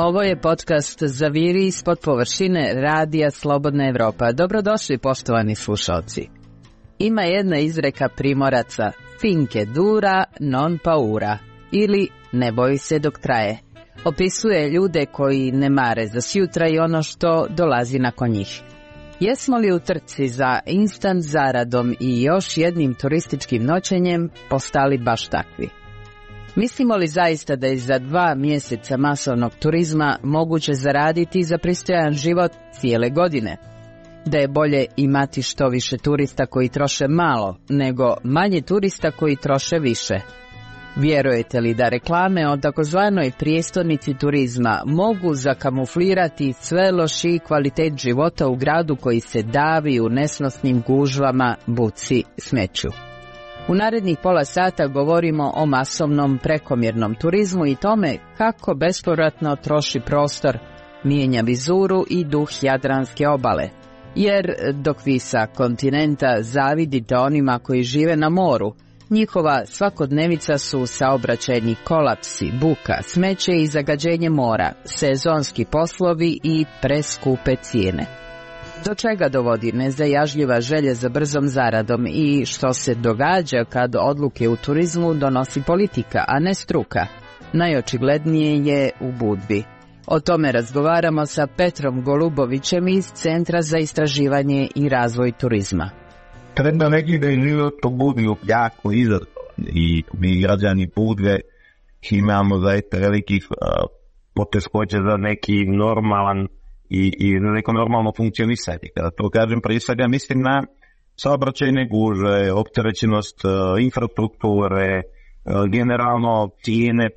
Ovo je podcast Zaviri ispod površine radija Slobodna Evropa. Dobrodošli, poštovani slušalci. Ima jedna izreka Primoraca, finke dura non paura, ili ne boji se dok traje. Opisuje ljude koji ne mare za sjutra i ono što dolazi nakon njih. Jesmo li u trci za instant zaradom i još jednim turističkim noćenjem postali baš takvi? Mislimo li zaista da je za 2 mjeseca masovnog turizma moguće zaraditi za pristojan život cijele godine? Da je bolje imati što više turista koji troše malo, nego manje turista koji troše više? Vjerujete li da reklame o takozvanoj prijestolnici turizma mogu zakamuflirati sve lošiji kvalitet života u gradu koji se davi u nesnosnim gužvama, buci, smeću? U narednih pola sata govorimo o masovnom prekomjernom turizmu i tome kako bespovratno troši prostor, mijenja vizuru i duh Jadranske obale. Jer dok vi sa kontinenta zavidite onima koji žive na moru, njihova svakodnevica su saobraćajni kolapsi, buka, smeće i zagađenje mora, sezonski poslovi i preskupe cijene. Do čega dovodi nezajažljiva želja za brzom zaradom i što se događa kad odluke u turizmu donosi politika, a ne struka? Najočiglednije je u Budvi. O tome razgovaramo sa Petrom Golubovićem iz Centra za istraživanje i razvoj turizma. Treba reći da je život u Budvi jako izazovan i mi građani Budve imamo zaista velikih poteškoća za neki normalan i neko normalno funkcionisanje. Kada to kažem, prije svega mislim na saobraćajne gužve, opterećenost infrastrukture, generalno cijene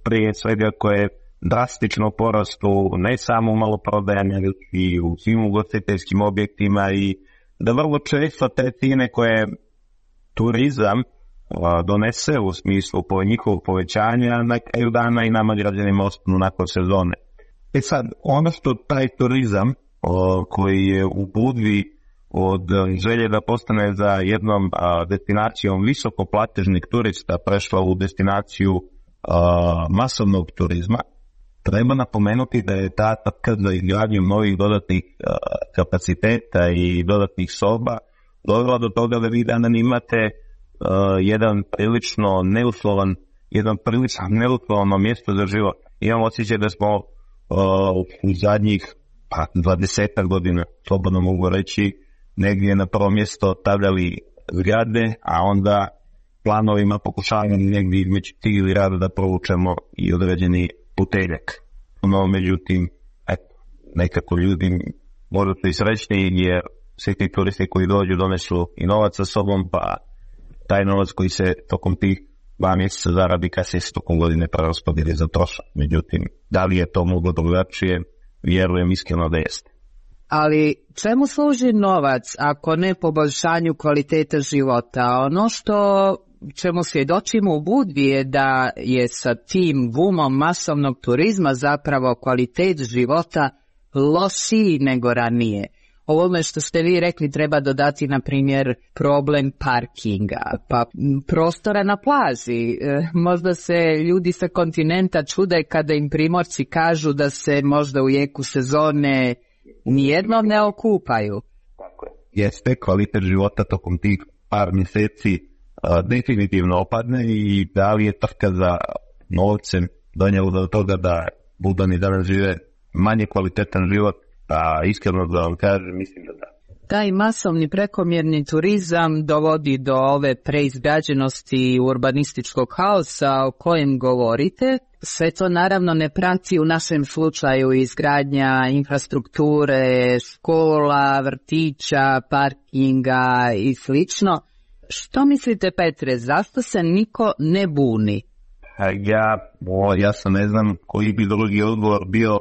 prije svega koje drastično porastu ne samo u maloprodajama, nego i u svim ugostiteljskim objektima, i da vrlo često te cijene koje turizam donese u smislu njihovog povećanja na kraju dana i nama građanima ostanu nakon sezone. Sad, ono što taj turizam koji je u Budvi od želje da postane za jednom destinacijom visokoplatežnih turista prešla u destinaciju masovnog turizma, treba napomenuti da je ta trka za izgradnju novih dodatnih kapaciteta i dodatnih soba dovela do toga da vi danas imate jedan prilično neuslovno mjesto za život. Imam osjećaj da smo u zadnjih 20 godina, slobodno mogu reći, negdje na prvo mjesto stavljali zgrade, a onda planovima pokušavamo negdje između tih rada da provučemo i određeni puteljak. No, međutim, nekako ljudi možda su i srećni jer svi ti turisti koji dođu donesu i novac sa sobom, pa taj novac koji se tokom tih 2 mjeseca zaradi kasnije se tokom godine preraspodijeli za trošak. Međutim, da li je to moglo drugačije? Vjerujem iskreno da jeste. Ali čemu služi novac ako ne poboljšanju kvaliteta života? Ono čemu svjedočimo u Budvi je da je sa tim bumom masovnog turizma zapravo kvalitet života lošiji nego ranije. Ovome što ste vi rekli treba dodati, na primjer, problem parkinga, pa prostora na plaži. Možda se ljudi sa kontinenta čude kada im Primorci kažu da se možda u jeku sezone nijednom ne okupaju. Tako je. Jeste, kvalitet života tokom tih par mjeseci definitivno opadne i da li je trka za novcem donijelo do toga da Budani danas žive manje kvalitetan život? Pa iskreno da vam kažem, mislim da da. Taj masovni prekomjerni turizam dovodi do ove preizgrađenosti urbanističkog haosa o kojem govorite. Sve to naravno ne prati u našem slučaju izgradnja infrastrukture, škola, vrtića, parkinga i slično. Što mislite, Petre, zašto se niko ne buni? Ja sam ne znam koji bi drugi odgovor bio,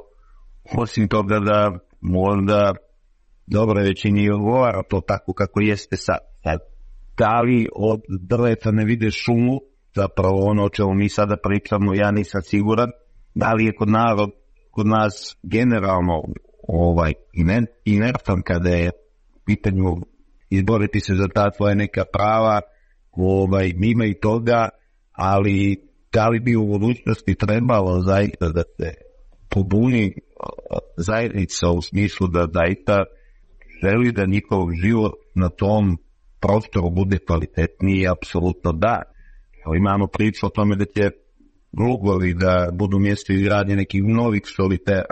osim toga da možda dobro većini odgovara to tako kako jeste sad. Da li od drveta ne vide šumu, zapravo ono o čemu mi sada pričamo, ja nisam siguran. Da li je kod nas generalno inertan kada je pitanju izboriti se za ta tvoja neka prava, mima i toga, ali da li bi u budućnosti trebalo zaista da se pobuni zajednica u smislu da zaista želi da njihov život na tom prostoru bude kvalitetniji, apsolutno da. Imamo priču o tome da će Glugovi da budu mjesto izgradnje nekih novih solitera.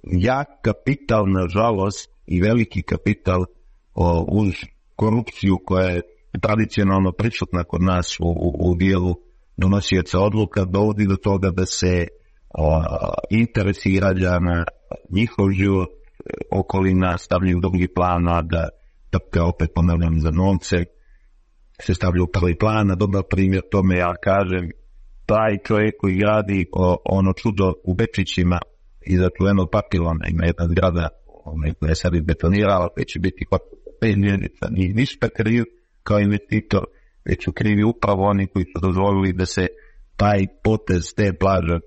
Jak kapital, nažalost, i veliki kapital uz korupciju koja je tradicionalno prisutna kod nas u dijelu donosioca odluka, dovodi do toga da se interesi građana, njihov život, okolina stavljaju u drugi plan, a da opet ponavljam za novce se stavlja u prvi plan. A dobar primjer tome, ja kažem, taj čovjek koji gradi ono čudo u Bečićima iza čuvenog papilona, ima jedna zgrada koja je sad izbetonirala, koja će biti 5 mjeseca, nije ništa kriv kao investitor, već su krivi upravo oni koji su dozvolili da se taj potez te plaže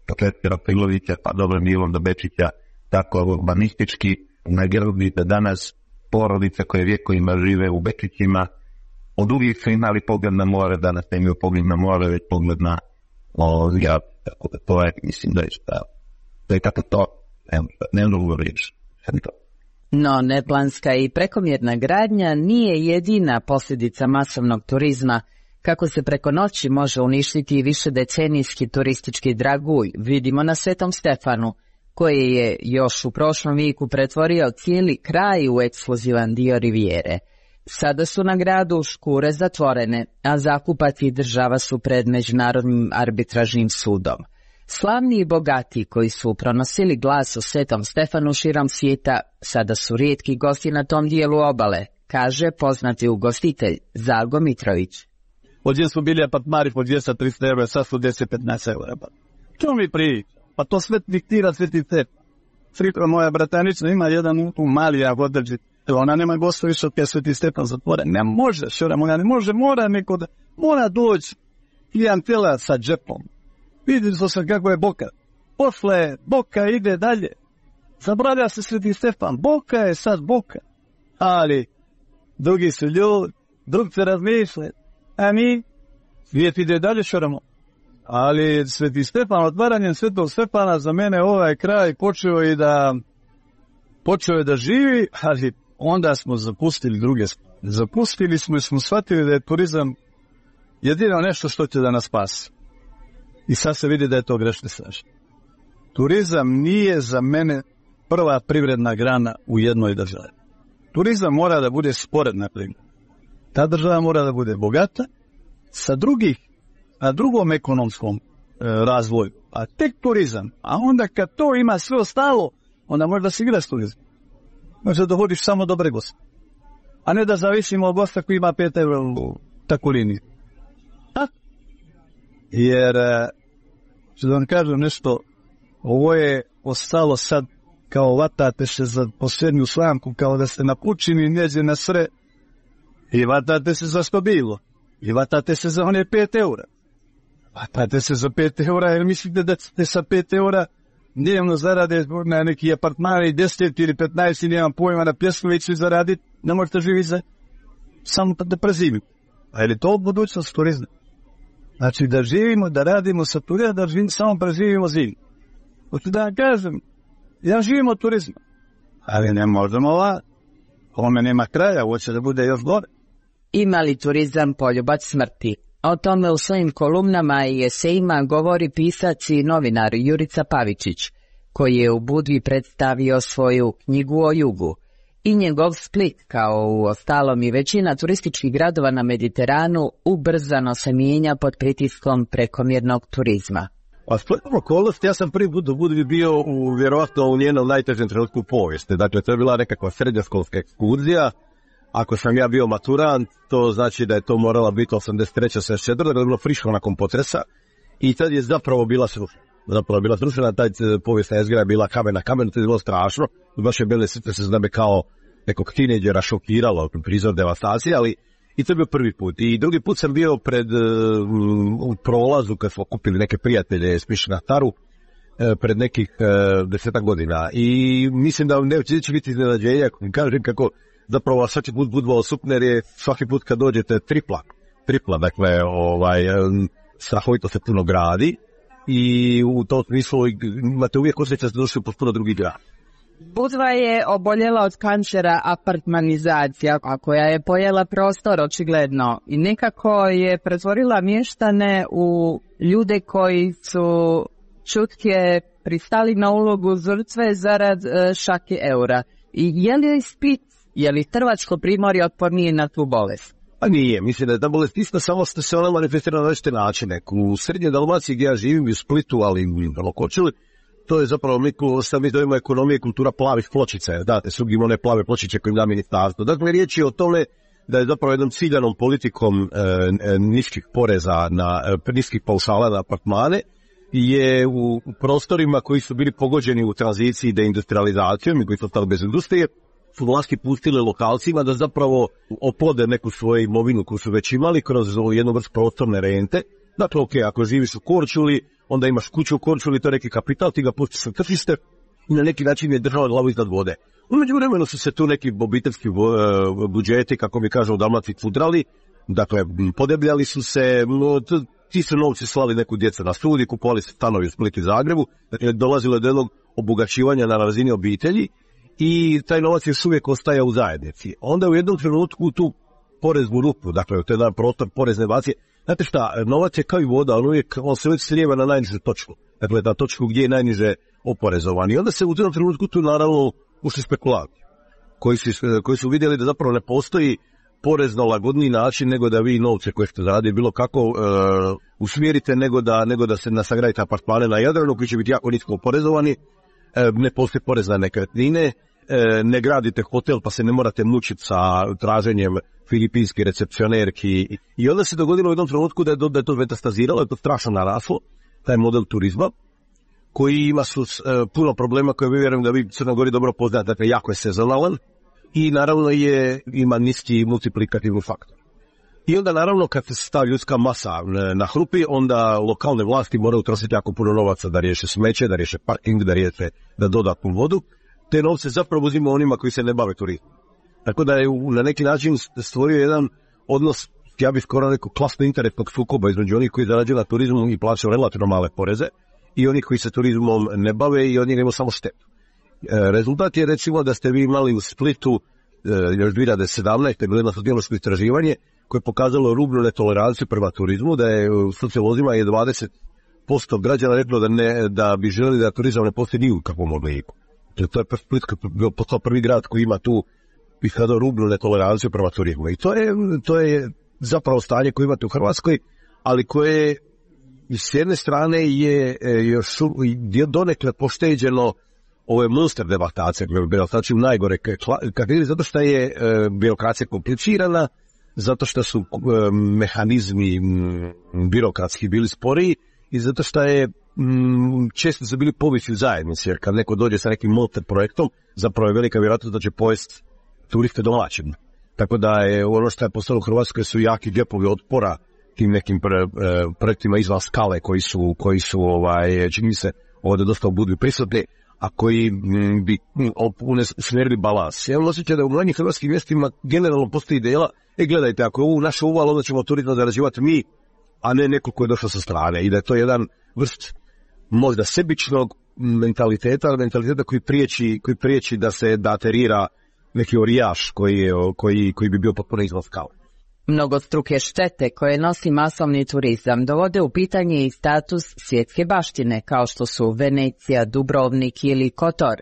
od Četvira Pilovića pa dobrim dijelom do Bečića tako urbanistički nagradi da danas porodice koje vjekovima žive u Bečićima od uvijek su imali pogled na more, danas ne imaju pogled na more, već pogled na zgrad. Tako da to je, mislim da je šta. To je kako to, ne mogu reći. No, neplanska i prekomjerna gradnja nije jedina posljedica masovnog turizma. Kako se preko noći može uništiti višedecenijski turistički dragulj, vidimo na Svetom Stefanu, koji je još u prošlom vijeku pretvorio cijeli kraj u ekskluzivan dio rivijere. Sada su na gradu škure zatvorene, a zakupac i država su pred Međunarodnim arbitražnim sudom. Slavni i bogati koji su pronosili glas o Svetom Stefanu širom svijeta, sada su rijetki gosti na tom dijelu obale, kaže poznati ugostitelj Zalgo Mitrović. Ovdje su bili apartmani po 200-300 eura, sad su 10-15 eura. Čemu mi priča? Pa to sve diktira Sveti Stefan. Frikra moja bratanica ima jedan mali odrđit. Ona nema gosta više od Sveti Stefan zatvore. Ne može, šora moja, ne može, mora doći klijentela sa džepom. Vidjeli smo se kako je Boka. Posle Boka ide dalje. Zabravlja se Sveti Stefan. Boka je sad Boka. Ali drugi su ljudi, drugi se razmišljaju. A mi, svijet ide dalje, šoramo. Ali Sveti Stefan, otvaranjem Svetog Stefana za mene ovaj kraj počeo je da živi, ali onda smo zapustili druge stvari. Zapustili smo i smo shvatili da je turizam jedino nešto što će da nas spasi. I sad se vidi da je to grešno strašno. Turizam nije za mene prva privredna grana u jednoj državi. Turizam mora da bude sporedna privredna. Ta država mora da bude bogata na drugom ekonomskom razvoju. A tek turizam. A onda kad to ima sve ostalo, onda može da se igra s turizmom. Može da dovodiš samo dobre goste. A ne da zavisimo od gosta koji ima 5 eura u takvu liniju. Jer, ću da vam kažem nešto, ovo je ostalo sad kao vatate se za posljednju slamku, kao da ste na pučini njeđe na sre i vatate se za što bilo. I vatate se za one 5 eura. Vatate se za 5 eura jer mislite da ćete sa 5 eura dnevno zarade na neki apartmani 10 ili 15 ili nemam pojma na Pljeskoviću zaraditi, ne možete živjeti samo da prezimite. A je li to budućnost turizma? Znači da živimo, da radimo sa turizma, da samo preživimo zimu. Hoću da vam kažem, ja živim od turizma, ali ne možemo ovome nema kraja, hoće da bude još gore. Ima li turizam poljubac smrti? O tome u svojim kolumnama i esejima govori pisac i novinar Jurica Pavičić, koji je u Budvi predstavio svoju knjigu o jugu. I njegov Split, kao u ostalom i većina turističkih gradova na Mediteranu, ubrzano se mijenja pod pritiskom prekomjernog turizma. A spletnom okolnosti, ja sam prvi put u Budvi bio vjerovatno u njenom najtežem trenutku u povijesti. Dakle, to je bila nekakva srednjoškolska ekskurzija. Ako sam ja bio maturant, to znači da je to morala biti 83. 74. da je bilo friško nakon potresa. I tad je zapravo bila srušena. Taj povijesna jezgra je bila kamen na kamenu, to je bilo strašno. Baš je bile srce se zname kao nekog tineđera šokiralo, prizor devastacije, ali i to je bio prvi put. I drugi put sam bio u prolazu kad smo kupili neke prijatelje Smiš na Taru pred nekih 10 godina. I mislim da neće biti iznenađenja, kažem kako zapravo svaki put budvalo super, jer je svaki put kad dođete tripla, dakle strahovito se puno gradi i u tom smislu imate uvijek osjećaj da ste došli u potpuno drugi grad. Budva je oboljela od kancera apartmanizacija, a koja je pojela prostor očigledno i nekako je pretvorila mještane u ljude koji su čutke pristali na ulogu žrtve zarad šake eura. I je li Split, je li Hrvatsko primorje otpornije na tu bolest? Pa nije, mislim da je ta bolest ista, samo što se ona manifestira na različite načine. U srednjoj Dalmaciji gdje ja živim, u Splitu, ali i u Lokočili, to je zapravo mi zovemo ekonomija i kultura plavih pločica. Date, sugimo one plave pločiće koje im da ministarstvo. Dakle, riječ je o tome da je zapravo jednom ciljanom politikom niskih poreza, niskih paušala na apartmane, je u prostorima koji su bili pogođeni u tranziciji deindustrializacijom i koji su ostali bez industrije, su vlasti pustile lokalcima da zapravo oplode neku svoju imovinu koju su već imali kroz jednu vrstu prostorne rente. Dakle, ok, ako živiš u Korčuli, onda imaš kuću u Korčuli, to je neki kapital, ti ga pustiš na tržište i na neki način je država glavu iznad vode. U međuvremenu su se tu neki obiteljski budžeti, kako mi kažu u Dalmaciji, fudrali, dakle, podebljali su se, ti su novci slali neku djecu na studij, kupovali se stanovi u Splitu i Zagrebu, dakle, dolazilo je do jednog obogaćivanja na razini obitelji i taj novac još uvijek ostaje u zajednici. Onda u jednom trenutku tu poreznu rupu, dakle, to je jedan prostor porezne bacije. Znate šta, novac je kao i voda, on se uvijek slijeva na najnižu točku, dakle, na točku gdje je najniže oporezovan. I onda se u jednom trenutku tu naravno ušli spekulanti, koji su vidjeli da zapravo ne postoji porezno lagodniji način nego da vi novce koje ste zaradili bilo kako usmjerite nego da se nasagradite apartmane na Jadranu koji će biti jako nisko oporezovani, ne postoji porez na nekretnine, ne gradite hotel pa se ne morate mučiti sa traženjem filipinskih recepcionerki. I onda se dogodilo u jednom trenutku da je to metastaziralo, je to strašno naraslo, taj model turizma, koji ima puno problema koje vjerujem da vi Crnogori dobro poznate, dakle jako je sezonalan i naravno ima niski multiplikativni faktor. I onda naravno kad se stavi ljudska masa na hrupi, onda lokalne vlasti moraju trošiti jako puno novaca da riješe smeće, da riješe parking, da dodatnu vodu. Te novce zapravo uzima onima koji se ne bave turizmom. Tako da je na neki način stvorio jedan odnos, ja bih skoro rekao, klasno interesnog sukoba između onih koji zarađuju na turizmu i plaćaju relativno male poreze i onih koji se turizmom ne bave i od njega imaju samo štetu. Rezultat je recimo da ste vi imali u Splitu još 2017. bilo jedno sociološko istraživanje koje je pokazalo rubnu netoleranciju prema turizmu, da je u sociolozima 20% građana reklo da bi željeli da turizam ne postoji ni u kakvom obliku. To je Split postao prvi grad koji ima tu rubnu netoleranciju prema turizmu. I to je zapravo stanje koje imate u Hrvatskoj, ali koje s jedne strane je još donekle pošteđeno ove monster devastacije, znači najgore kategorije, zato što je birokracija komplicirana, zato što su mehanizmi birokratski bili sporiji i zato što je često su bili povisi u zajednici, jer kad neko dođe sa nekim monster projektom, zapravo je velika vjerojatnost da će pojesti turiste domaćim. Tako da je ono što je postalo u Hrvatskoj su jaki džepovi otpora tim nekim projektima izvan skale koji su čini mi se ovdje dosta budu prisutni, a koji bi smjerili balans. Ja imam osjećaj da u mnogim hrvatskim mjestima generalno postoji ideja, gledajte, ako je ovo naše uval, onda ćemo turizam zarađivati mi, a ne neko ko je došao sa strane. I da je to jedan vrst možda sebičnog mentaliteta koji priječi da se aterira neki orijaš koji bi bio potpuno izvan skale. Mnogostruke štete koje nosi masovni turizam dovode u pitanje i status svjetske baštine, kao što su Venecija, Dubrovnik ili Kotor.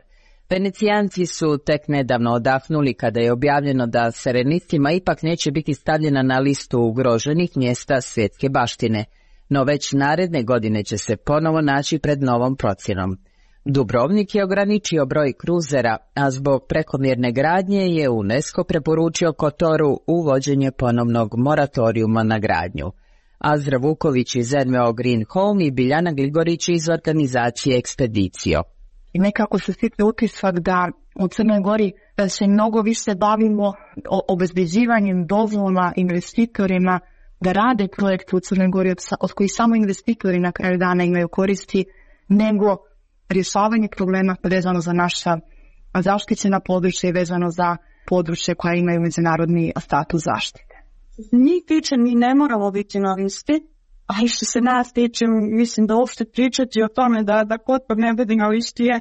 Venecijanci su tek nedavno odahnuli kada je objavljeno da Serenistima ipak neće biti stavljena na listu ugroženih mjesta svjetske baštine, no već naredne godine će se ponovo naći pred novom procjenom. Dubrovnik je ograničio broj kruzera, a zbog prekomjerne gradnje je UNESCO preporučio Kotoru uvođenje ponovnog moratorijuma na gradnju. Azra Vuković iz NVO Green Home i Biljana Gligorić iz organizacije Ekspedicio. I nekako se stiče utisak da u Crnoj Gori se mnogo više bavimo obezbeđivanjem dozvola investitorima da rade projekte u Crnoj Gori od kojih samo investitori na kraju dana imaju koristi, nego rješavanje problema vezano za naša zaštićena područja i vezano za područje koja imaju međunarodni status zaštite. Njih tiče, mi ne moramo biti na listi, A i što se nas tiče, mislim da uopšte pričati o tome da Kotor ne bude na listi je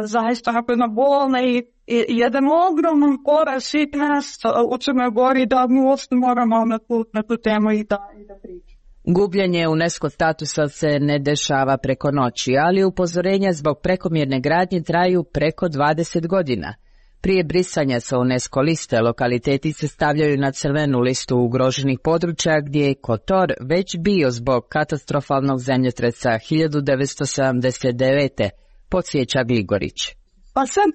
zaista napravljena bolna i jedan ogroman korak svih nas u Crnoj Gori da mi uopšte moramo na tu temu i da pričamo. Gubljenje UNESCO statusa se ne dešava preko noći, ali upozorenja zbog prekomjerne gradnje traju preko 20 godina. Prije brisanja sa UNESCO liste, lokaliteti se stavljaju na crvenu listu ugroženih područja gdje je Kotor već bio zbog katastrofalnog zemljotresa 1979. podsjeća Gligorić. Pa sad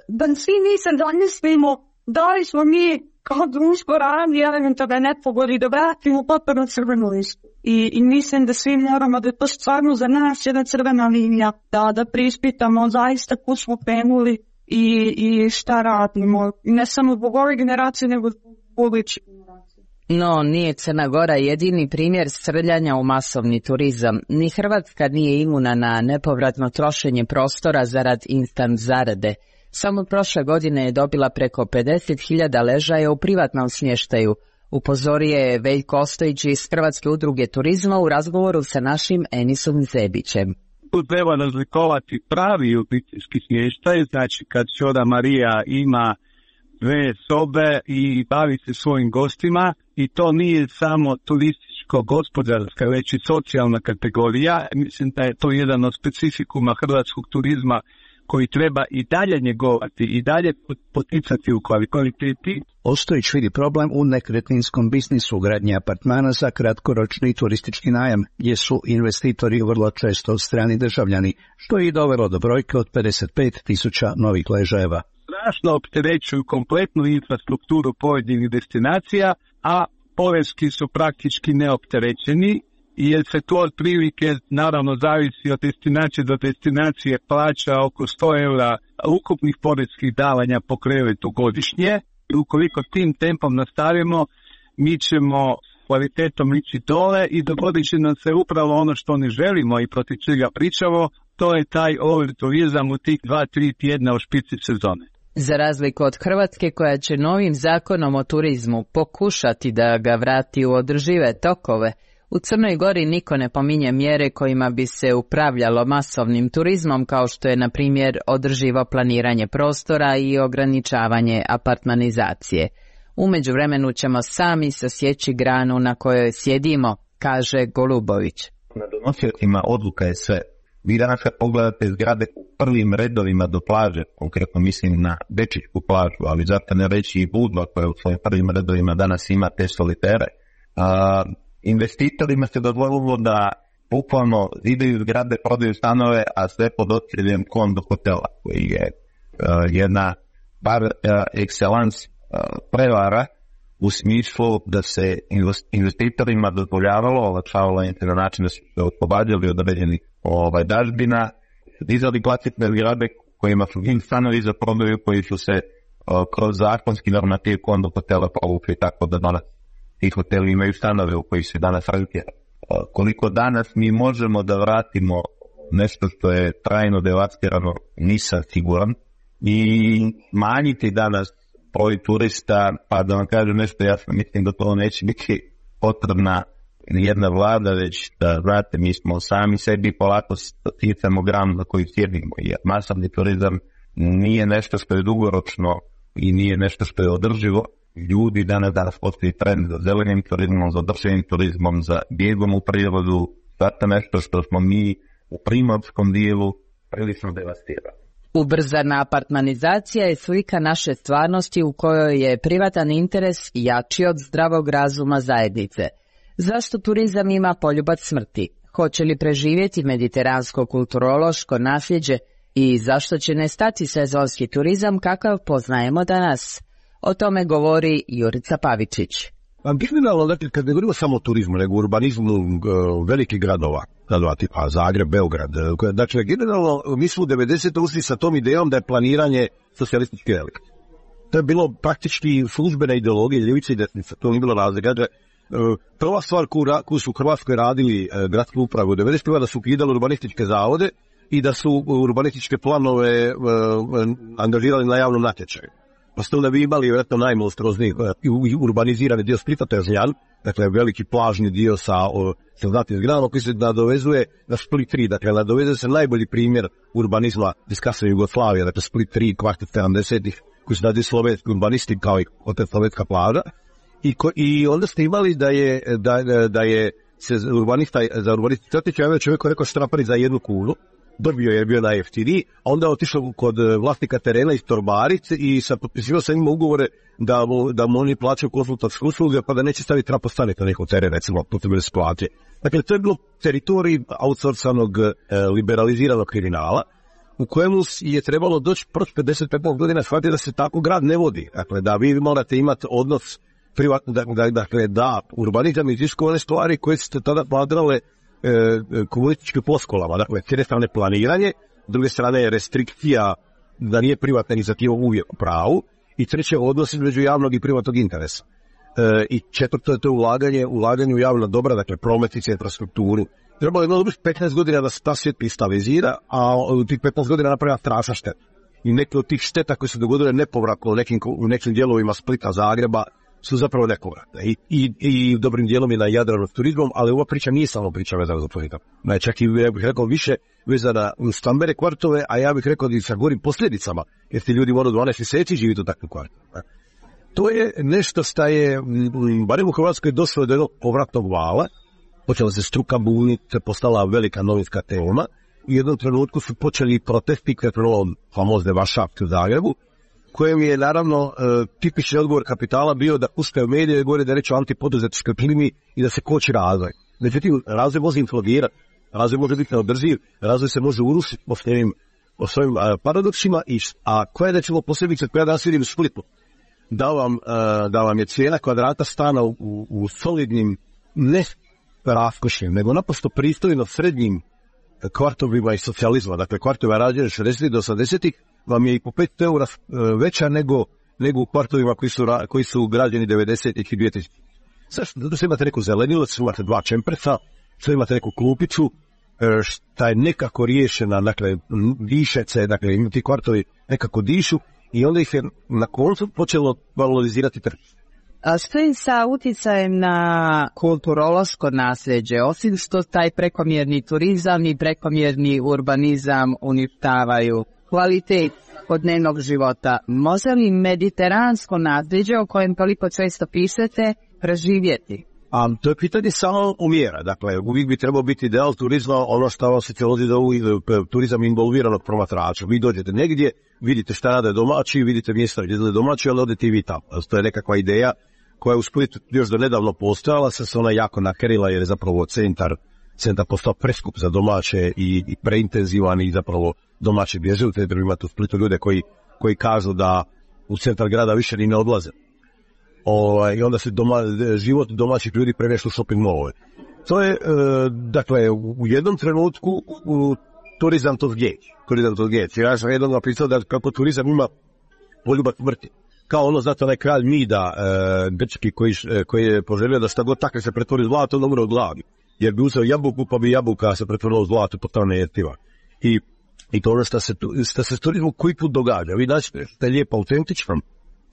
da svi mi se zamislimo da li smo mi kao društvo radili elementarne nepogode da vratimo Kotor na crvenu listu. I mislim da svi moramo da je to stvarno za nas jedna crvena linija, da prispitamo zaista kud smo penuli i šta radimo. Ne samo zbog ove generacije, nego zbog budućih generacija. No, nije Crna Gora jedini primjer srljanja u masovni turizam. Ni Hrvatska nije imuna na nepovratno trošenje prostora zarad instant zarade. Samo prošle godine je dobila preko 50.000 ležaja u privatnom smještaju, upozorio je Veljko Ostojić iz Hrvatske udruge turizma u razgovoru sa našim Enisom Zebićem. Tu treba razlikovati pravi obiteljski smještaj, znači kad ćoda Marija ima 2 sobe i bavi se svojim gostima, i to nije samo turističko-gospodarska, već i socijalna kategorija. Mislim da je to jedan od specifikuma hrvatskog turizma koji treba i dalje njegovati i dalje poticati u kvaliteti. Ostojić vidi problem u nekretninskom biznisu gradnje apartmana za kratkoročni turistički najam, gdje su investitori vrlo često strani državljani, što je i dovelo do brojke od 55.000 novih ležajeva. Strašno opterećuju kompletnu infrastrukturu pojedinih destinacija, a poreski su praktički neopterećeni, jer se to otprilike, naravno, zavisi od destinacije do destinacije, plaća oko 100 eura ukupnih poreskih davanja po krevetu godišnje. I ukoliko tim tempom nastavimo, mi ćemo kvalitetom ići dole i dogodit će nam se upravo ono što ne želimo i protiv čega pričamo, to je taj overturizam u tih 2-3 tjedna u špici sezone. Za razliku od Hrvatske, koja će novim zakonom o turizmu pokušati da ga vrati u održive tokove, u Crnoj Gori niko ne pominje mjere kojima bi se upravljalo masovnim turizmom, kao što je, na primjer, održivo planiranje prostora i ograničavanje apartmanizacije. U međuvremenu ćemo sami sasjeći granu na kojoj sjedimo, kaže Golubović. Na donosiocima odluka je sve. Vi danas kad pogledate zgrade u prvim redovima do plaže, konkretno mislim na Bečićku plažu, ali zato ne reći i Budva koja u svojim prvim redovima danas ima te solitere, investitorima se dozvolilo da bukvalno zidaju zgrade, prodaju stanove, a sve pod okriljem kondo hotela, koji je jedna par excellence prevara u smislu da se investitorima dozvoljavalo, olakšavalo im na način da su se oslobađali od određenih dažbina, dizali klasične zgrade kojima su stanovi za prodaju koji su se kroz zakonski normativ kondo hotela povukli, tako da danas ti hoteli imaju stanove u koji se danas razvija. Koliko danas mi možemo da vratimo nešto što je trajno devastirano, nisam siguran, i manjiti danas broj turista, pa da vam kažem nešto jasno, mislim da to neće biti potrebna jedna vlada, već da, znate, mi smo sami sebi polako sticamo gram na koji sjedimo, jer masovni turizam nije nešto što je dugoročno i nije nešto što je održivo. Ljudi danas postoji trend za zelenim turizmom, za održivim turizmom, za bijegom u prirodu, zato nešto što smo mi u primorskom dijelu prilično devastirali. Ubrzana apartmanizacija je slika naše stvarnosti u kojoj je privatan interes jači od zdravog razuma zajednice. Zašto turizam ima poljubac smrti? Hoće li preživjeti mediteransko kulturološko nasljeđe i zašto će nestati sezonski turizam kakav poznajemo danas? O tome govori Jurica Pavičić. Generalno, dakle, kad ne govorimo samo o turizmu, nego o urbanizmu velikih gradova tipa Zagreb, Beograd, dakle, generalno, mi smo u 90. ušli sa tom idejom da je planiranje socijalistički relik. To je bilo praktički službena ideologija ljevice i desnice, to nije bilo razlika. Prva stvar koju su u Hrvatskoj radili gradske uprave u 90. da su ukidali urbanističke zavode i da su urbanističke planove angažirali na javnom natječaju. Pa ste onda bi imali vjerojatno najmonstruozniji urbanizirani dio Splita, to je Žljan, dakle veliki plažni dio sa zlatnim zgradama koji se nadovezuje na Split 3, dakle nadovezuje se najbolji primjer urbanizma iz kasne Jugoslavije, dakle Split 3, kvart 70-ih, koji su radi slovenski urbanisti kao i hotel Slovenska plaža. I onda ste imali da je se urbanista Crtić javio čovjeku rekao štrapari za 1 kunu, dobio je bio najjeftiniji, a onda je otišao kod vlasnika terena iz Torbarice i potpisivao sa njima ugovore da mu oni plaćaju konsultantske usluge, pa da neće staviti trapostanice na njihov teren, recimo, putem da se plate. Dakle, to je bilo teritorij outsourcanog liberaliziranog kriminala, u kojemu je trebalo doći proći 55 godina shvatiti da se tako grad ne vodi. Dakle, da vi morate imati odnos dakle, da urbanizam iziskuje one stvari koje ste tada pladrale komunističkim floskulama. Dakle, s jedne strane planiranje, s druge strane restrikcija da nije privatna inicijativa uvijek u pravu i treće odnos između javnog i privatnog interesa. I četvrto je to ulaganje u javna dobra, dakle prometnice, infrastrukturu. Trebalo je 15 godina da se ta svijet stabilizira, a u tih 15 godina napravila strašna šteta. I neke od tih šteta koje su dogodile nepovratno u nekim dijelovima Splita, Zagreba, su zapravo nepovratne. I dobrim dijelom je na Jadranu s turizmom, ali ova priča nije samo priča vezana za turizam. Čak i, ja bih rekao, više vezana u stambene kvartove, a ja bih rekao da i sa gorim posljedicama, jer ti ljudi moraju 12 mjeseci živjeti u takvim kvartovima. To je nešto što je, barem u Hrvatskoj, došlo do jednog povratnog vala, počela se struka buniti, postala velika novinska tema, i u jednom trenutku su počeli protesti krenulo famozne Varšavke u Zagrebu, kojem je naravno tipični odgovor kapitala bio da puste u medije i govore da reći o antipoduzetičkoj klimi i da se koči razvoj. Međutim, razvoj može implogirati, razvoj može biti neodrživ, razvoj se može urušiti po svojim paradoksima, a koja je recimo posebice koja danas vidim u Splitu, da vam je cijena kvadrata stana u solidnim, ne raskošnim, nego naprosto pristojno srednjim kvartovima iz socijalizma, dakle kvartova rađene 60. do 80. vam je i po 5 eura veća nego u kvartovima koji su građeni 90. i 2000. Zašto? Zato što imate neku zelenilac, imate 2 čempresa, što imate neku klupiću, šta je nekako riješena, dakle, dišece, dakle, ti kvartovi nekako dišu i onda ih je na koncu počelo valorizirati tržište. A što je sa utjecajem na kulturološko nasljeđe, osim što taj prekomjerni turizam i prekomjerni urbanizam uništavaju kvalitet dnevnog života, može li mediteransko nasljeđe o kojem toliko često pišete preživjeti? To je pitanje samo umjera. Dakle, uvijek bi trebao biti ideal turizma, ono što vam se teolozi da turizam involviranog promatrača. Vi dođete negdje, vidite šta rade domaći, vidite mjesta gdje je domaći, ali odete i vi tamo. To je nekakva ideja koja je u Splitu još do nedavno postojala, se ona jako nakerila jer je zapravo centar postao preskup za domaće i preintenzivan i zapravo domaći bježe u centru. Imate u Splitu ljude koji kažu da u centar grada više ni ne odlaze. I onda se život domaćih ljudi premješta u shopping mallove. To je, dakle, u jednom trenutku turizam to zgeći. Ja sam jednom napisao da kako turizam ima poljubac smrti. Kao ono, znate, onaj kralj Mida, grčki koji je poželio da šta god takve se pretvori zlato, on umre od gladi. Jer bi uzeo jabuku, pa bi jabuka se pretvorila u zlato, potpuno nejestiva. I to ono što se s turizmom koji put događa. Vi naćete što je lijepo autentično,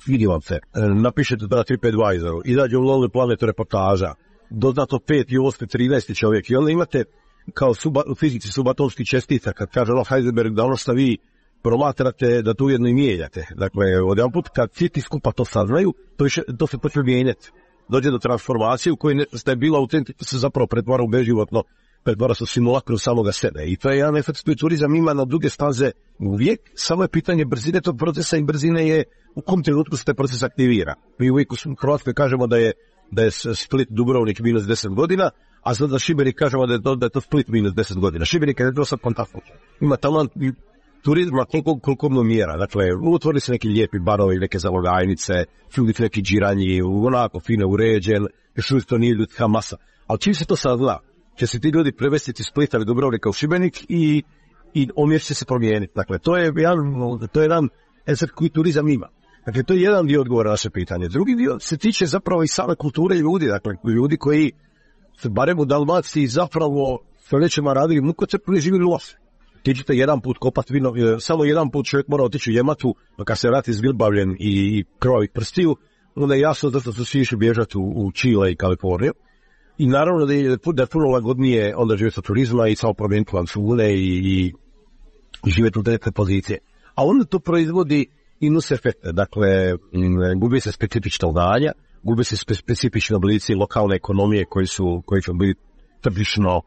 vidi vam se, napišete na TripAdvisoru, izađe u Lonely Planet reportaža, doznato 5 i 8, 13 čovjek i onda imate kao u fizici subatomskih čestica, kad kaže Heisenberg da ono što vi promatrate, da to ujedno i mijenjate. Dakle, odjedan put kad svi ti skupa to saznaju, to se počne mijenjati. Dođe do transformacije u kojoj što je bilo autentično se zapravo pretvara u beživotno, pretvara se u simulakru samoga sebe. I to je jedan efekt koji turizam ima na duge staze uvijek, samo je pitanje brzine tog procesa i brzine je u kom trenutku se taj proces aktivira. Mi uvijek u Hrvatskoj kažemo da je Split Dubrovnik minus 10 godina, a sad za Šibenik kažemo da je to Split minus 10 godina. Šibenik je to sad fantastično. Ima talent turizma koliko mjera. Dakle, otvori se neki lijepi barovi, neke zalogajnice, ljudi neki džiranji, onako fine uređen, još uvijek to nije ljudska masa. Ali čim se to sazna, će se ti ljudi prevestiti iz Splita ili Dubrovnika u Šibenik i omjer će se promijeniti. Dakle, to je jedan efekt koji turizam ima. Dakle, to je jedan dio odgovora na naše pitanje. Drugi dio se tiče zapravo i same kulture ljudi. Dakle, ljudi koji se barem u Dalmaciji zapravo stoljećima radili mukotrpno i živjeli loše. Ti ćete jedan put kopati vino, samo jedan put čovjek mora otići u Jematu, pa kad se vrati zgrbavljen i krvavih prstiju, onda je jasno da su svi išli bježati u Čile i Kaliforniju. I naravno da je puno lagodnije onda živjeti od turizma i samo promijeniti lancune i živjeti u direktne pozicije. A onda to proizvodi i nus efekte, dakle, gubi se specifična znanja, gubi se specifični oblici lokalne ekonomije koji su bili tržišno,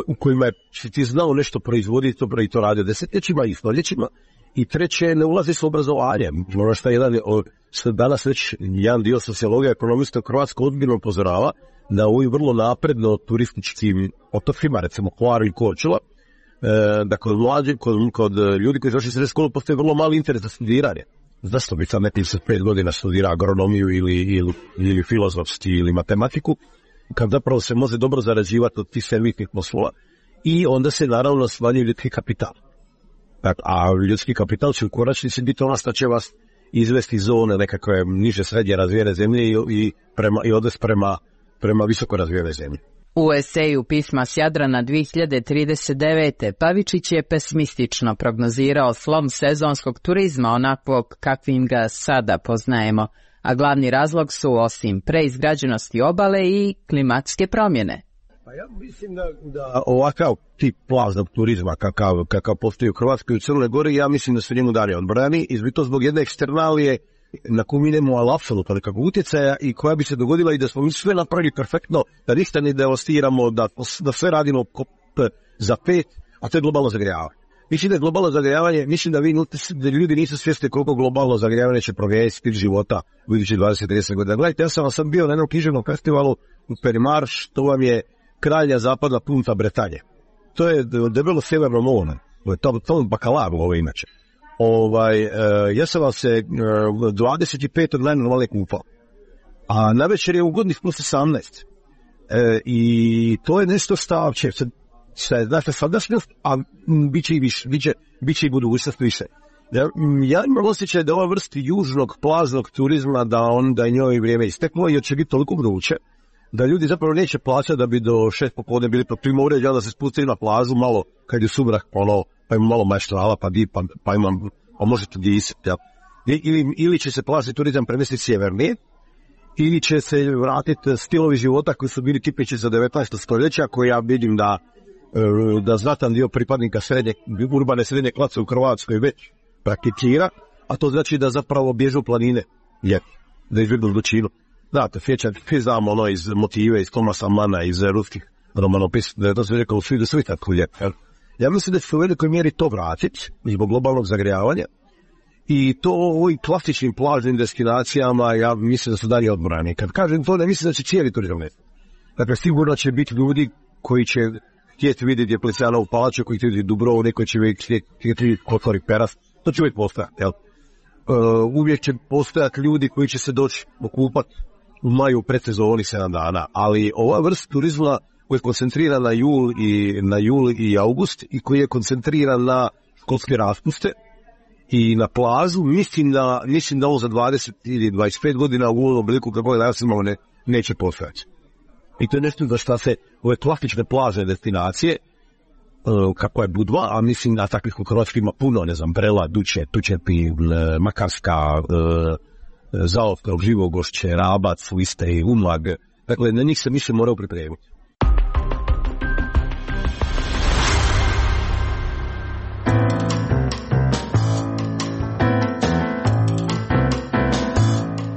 u kojima je ti znao nešto proizvoditi i to radio desetljećima i stoljećima. I treće, ne ulazi s obrazovanjem. Ono što danas već jedan dio sociologija ekonomista u Hrvatskoj ozbiljno upozorava da u ovim vrlo napredno turističkim otocima, recimo Hvaru i Korčula, da kod ljudi koji završi srednju školu postoji vrlo mali interes za studiranje. Zašto bi sad nekim 5 godina studira agronomiju ili filozofski ili matematiku, kad zapravo se može dobro zarađivati od tih servisnih poslova. I onda se naravno smanjuje ljudski kapital. A ljudski kapital će u konačnici biti ono što će vas izvesti iz zone nekakve niže srednje razvijene zemlje i odvesti prema visoko razvijene zemlje. U eseju Pisma s Jadrana 2039. Pavičić je pesimistično prognozirao slom sezonskog turizma onakvog kakvim ga sada poznajemo, a glavni razlog su osim preizgrađenosti obale i klimatske promjene. Pa ja mislim da ovakav tip plaznog turizma kakav postoji u Hrvatskoj i u Crnoj Gori, ja mislim da su njemu dani odbrani, izbito zbog jedne eksternalije na koju mi nemamo ali apsolutno nekakvog utjecaja i koja bi se dogodila i da smo mi sve napravili perfektno, da ništa ne devastiramo, da sve radimo za 5, a to je globalno zagrijavanje. Mislim da je globalno zagrijavanje, mislim da ljudi nisu svjesni koliko globalno zagrijavanje će promijeniti stil života u idućih 20-30 godina. Gledajte, ja sam bio na jednom književnom festivalu u Perimarš, to vam je kralja zapadna punta Bretanje. To je debelo sjeverno more, to je bakalaru ovo inače. Ja sam vam se 25. dana normalne kupao, a navečer je ugodnih plus 18. I to je nešto stavče, znači sadašnjost, a bit će i budućnost više. Ja imam osjećaj da ova vrsti južnog plaznog turizma da je njoj vrijeme isteklo i će biti toliko vruće da ljudi zapravo neće plaćati da bi do 6 popodne bili prima uređaja, da se spustili na plažu malo kad je sumrak, pa ima malo maštrala, pa imam, možete disati. Ili će se plažni turizam premestiti sjevernije, ili će se vratiti stilovi života koji su bili tipični za 19. stoljeća, koji ja vidim da znatan dio pripadnika urbane srednje klase u Hrvatskoj već prakticira, a to znači da zapravo bježu planine, da izbjegnu zločinu. Znate, svi znamo iz motive, iz Tomasa Mana, iz ruskih romanopisa, da je to sve rekao svi da svi tako lijepo. Ja mislim da će se u velikoj mjeri to vratiti zbog globalnog zagrijavanja i to u ovim klasičnim plažnim destinacijama ja mislim da su dalje odbrani. Kad kažem to, ne mislim da će cijeli turizam nestati. Dakle, sigurno će biti ljudi koji će htjeti vidjeti Dioklecianovu palaču, koji će vidjeti Dubrovnik, koji će vidjeti Kotor i Peras. To će uvijek postojati, jel? Uvijek će postojati ljudi koji će se doći okupati u maju predsezoni 7 dana, ali ova vrsta turizma koji je koncentriran na jul i august i koji je koncentriran na školske raspuste i na plažu, mislim da ovo za 20 ili 25 godina u ovom obliku kako je danas imamo neće postojati. I to je nešto za šta se ove klasične plažne destinacije, kako je Budva, a mislim da takvih u Hrvatskoj ima puno, ne znam, Brela, Duče, Tučepi, Makarska, Zaotka, Živogošće, Rabac, Liste, Umag. Dakle, na njih se mislim morao pripremiti.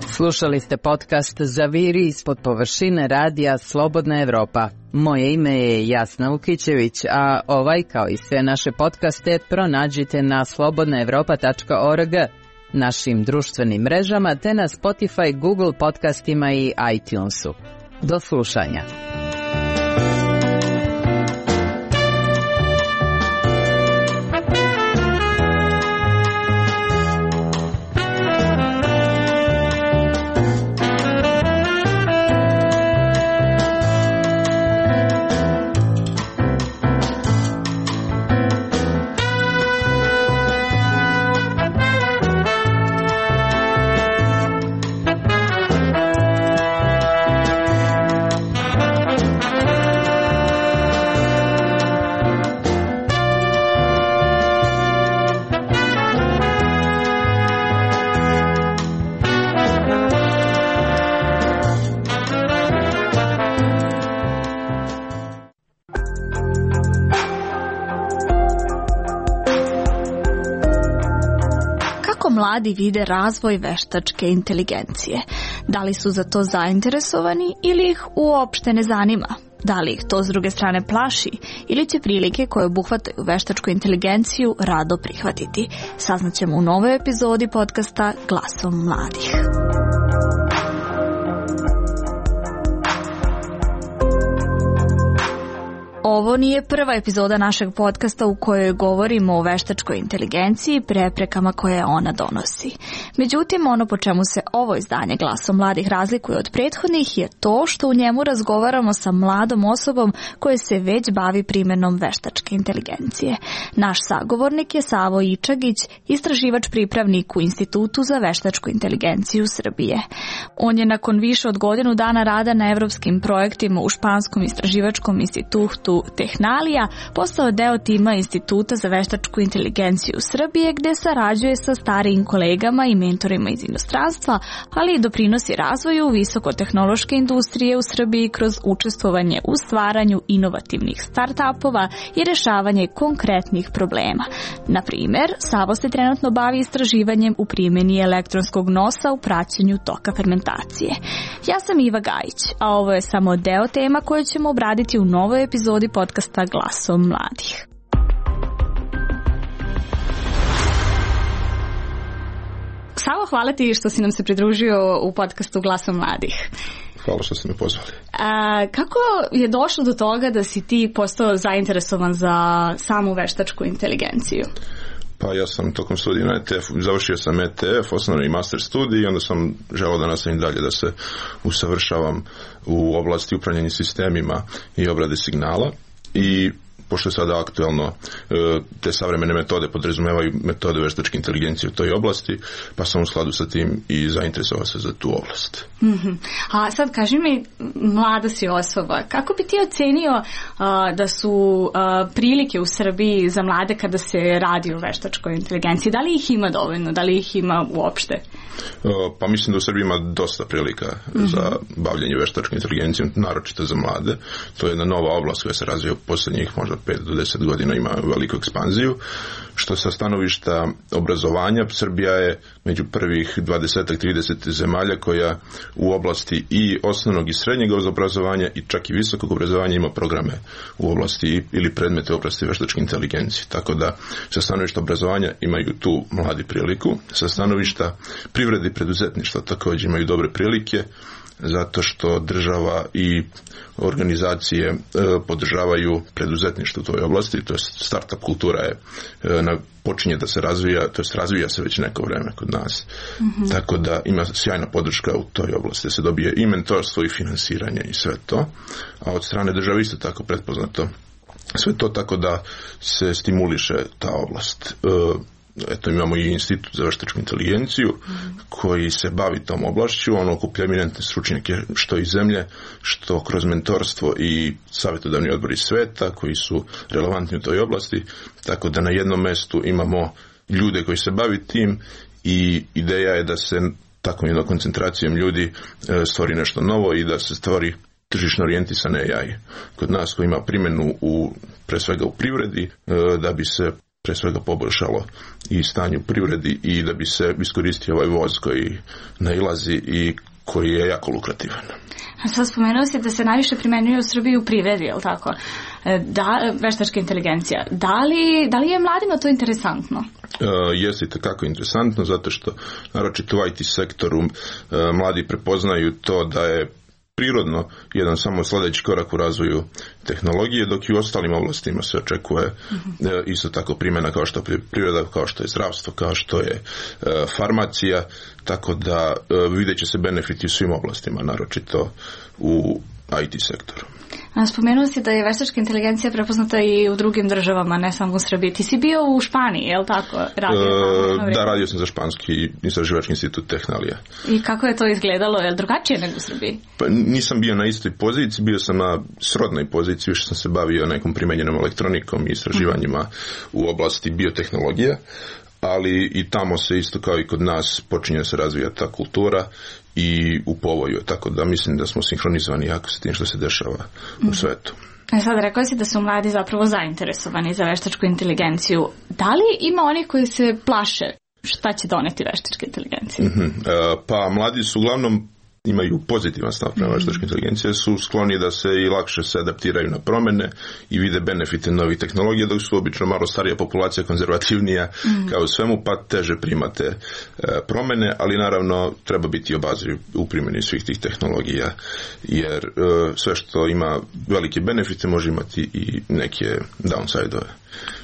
Slušali ste podcast Zaviri ispod površine radija Slobodna Evropa. Moje ime je Jasna Lukićević, a ovaj kao i sve naše podcaste pronađite na slobodnaevropa.org, našim društvenim mrežama te na Spotify, Google podcastima i iTunesu. Do slušanja. mladi vide razvoj veštačke inteligencije? Da li su za to zainteresovani ili ih uopšte ne zanima? Da li ih to s druge strane plaši ili će prilike koje obuhvataju veštačku inteligenciju rado prihvatiti? Saznaćemo u novoj epizodi podcasta Glasom mladih. Ovo nije prva epizoda našeg podcasta u kojoj govorimo o veštačkoj inteligenciji i preprekama koje ona donosi. Međutim, ono po čemu se ovo izdanje Glasom mladih razlikuje od prethodnih je to što u njemu razgovaramo sa mladom osobom koja se već bavi primjenom veštačke inteligencije. Naš sagovornik je Savo Ičagić, istraživač pripravnik u Institutu za veštačku inteligenciju Srbije. On je nakon više od godinu dana rada na evropskim projektima u Španskom istraživačkom institutu Tehnalija postao deo tima Instituta za veštačku inteligenciju Srbije, gde sarađuje sa starijim kolegama i mentorima iz inostranstva, ali i doprinosi razvoju visokotehnološke industrije u Srbiji kroz učestvovanje u stvaranju inovativnih start-upova i rešavanje konkretnih problema. Na primjer, Savo se trenutno bavi istraživanjem u primjeni elektronskog nosa u praćenju toka fermentacije. Ja sam Iva Gajić, a ovo je samo deo tema koje ćemo obraditi u novoj epizodi podcasta Glasom mladih. Savo, hvala ti što si nam se pridružio u podcastu Glasom mladih. Hvala što ste me pozvali. Kako je došlo do toga da si ti postao zainteresovan za samu veštačku inteligenciju? Pa ja sam tokom studija na ETF, završio sam ETF, osnovni master studij i onda sam želeo da nastavim dalje da se usavršavam u oblasti upravljanja sistemima i obrade signala i pošto je sada aktuelno te savremene metode podrazumevaju metode veštačke inteligencije u toj oblasti, pa sam u skladu sa tim i zainteresovao se za tu oblast. Mm-hmm. A sad kaži mi, mlada si osoba, kako bi ti ocenio da su prilike u Srbiji za mlade kada se radi o veštačkoj inteligenciji? Da li ih ima dovoljno? Da li ih ima uopšte? Pa mislim da u Srbiji ima dosta prilika za bavljanje veštačkom inteligencijom, naročito za mlade. To je jedna nova oblast koja se razvija u posljednjih možda 5 do 10 godina, ima veliku ekspanziju. Što sa stanovišta obrazovanja, Srbija je među prvih 20-30 zemalja koja u oblasti i osnovnog i srednjeg obrazovanja i čak i visokog obrazovanja ima programe u oblasti ili predmete u oblasti veštačke inteligencije. Tako da sa stanovišta obrazovanja imaju tu mladi priliku, sa stanovišta privrede i preduzetništva također imaju dobre prilike, zato što država i organizacije podržavaju preduzetništvo u toj oblasti, to je startup kultura je počinje da se razvija, to jest razvija se već neko vreme kod nas. Mm-hmm. Tako da ima sjajna podrška u toj oblasti, da se dobije i mentorstvo i finansiranje i sve to, a od strane države isto tako pretpoznato sve to, tako da se stimuliše ta oblast. Eto, imamo i Institut za veštačku inteligenciju koji se bavi tom oblašću, on okuplja eminentne stručnjake što iz zemlje, što kroz mentorstvo i savjetodavni odbor iz sveta koji su relevantni u toj oblasti, tako da na jednom mestu imamo ljude koji se bavi tim i ideja je da se takvom jednom koncentracijom ljudi stvori nešto novo i da se stvori tržišno orijentisan AI kod nas koji ima primjenu pre svega u privredi, da bi se pre svega poboljšalo i stanje u privredi i da bi se iskoristio ovaj voz koji nailazi i koji je jako lukrativan. A sad spomenuo si da se najviše primenjuje u Srbiji u privredi, je li tako? Veštačka inteligencija. Da li je mladima to interesantno? Jeste itekako interesantno, zato što naročito u IT sektoru mladi prepoznaju to da je prirodno jedan samo sljedeći korak u razvoju tehnologije, dok i u ostalim oblastima se očekuje isto tako primjena kao što je priroda, kao što je zdravstvo, kao što je farmacija, tako da vidjet će se benefiti u svim oblastima, naročito u IT sektoru. Spomenuo si da je veštačka inteligencija prepoznata i u drugim državama, ne samo u Srbiji. Ti si bio u Španiji, je li tako? Radio sam za Španski istraživački institut Tehnalija. I kako je to izgledalo? Je li drugačije nego u Srbiji? Pa nisam bio na istoj poziciji, bio sam na srodnoj poziciji, više sam se bavio nekom primenjenom elektronikom i istraživanjima u oblasti biotehnologije, ali i tamo se isto kao i kod nas počinje se razvijati ta kultura i u povoju, tako da mislim da smo sinhronizovani jako s tim što se dešava u svetu. Sad rekao si da su mladi zapravo zainteresovani za veštačku inteligenciju. Da li ima onih koji se plaše? šta će doneti veštačka inteligencija? Pa mladi su uglavnom imaju pozitivan stav prema veštačkoj inteligenciji, su skloni da se i lakše se adaptiraju na promene i vide benefite novih tehnologija, dok su obično malo starija populacija, konzervativnija kao svemu, pa teže primate promene, ali naravno treba biti obazriv u primjeni svih tih tehnologija, jer sve što ima velike benefite može imati i neke downside-ove.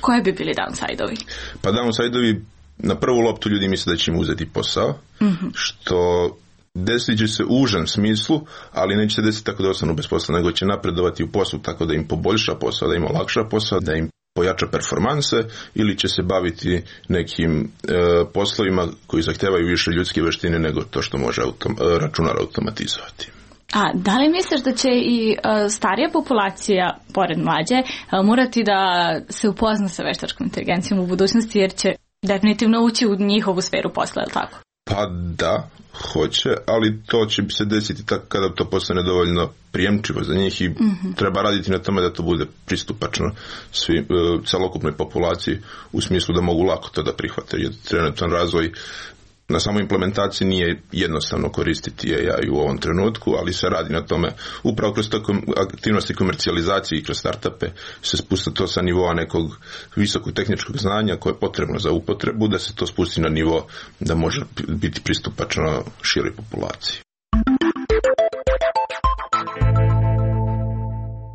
Koje bi bili downside-ovi? Pa downside-ovi, na prvu loptu ljudi misle da će im uzeti posao, što desit će se u užem smislu, ali neće se desiti tako da ostanu bez posla, nego će napredovati u poslu tako da im poboljša posao, da im olakša posao, da im pojača performanse, ili će se baviti nekim poslovima koji zahtevaju više ljudske veštine nego to što može računar automatizovati. A da li misliš da će i starija populacija, pored mlađe, morati da se upozna sa veštačkom inteligencijom u budućnosti, jer će definitivno ući u njihovu sferu posla, je li tako? Pa da, hoće, ali to će se desiti tako kada to postane dovoljno prijemčivo za njih i treba raditi na tome da to bude pristupačno celokupnoj populaciji, u smislu da mogu lako to da prihvate, jer trenutan razvoj na samoj implementaciji nije jednostavno koristiti AI u ovom trenutku, ali se radi na tome upravo kroz aktivnosti komercijalizacije i kroz startupe se spusta to sa nivoa nekog visokog tehničkog znanja koje je potrebno za upotrebu, da se to spusti na nivo da može biti pristupačno široj populaciji.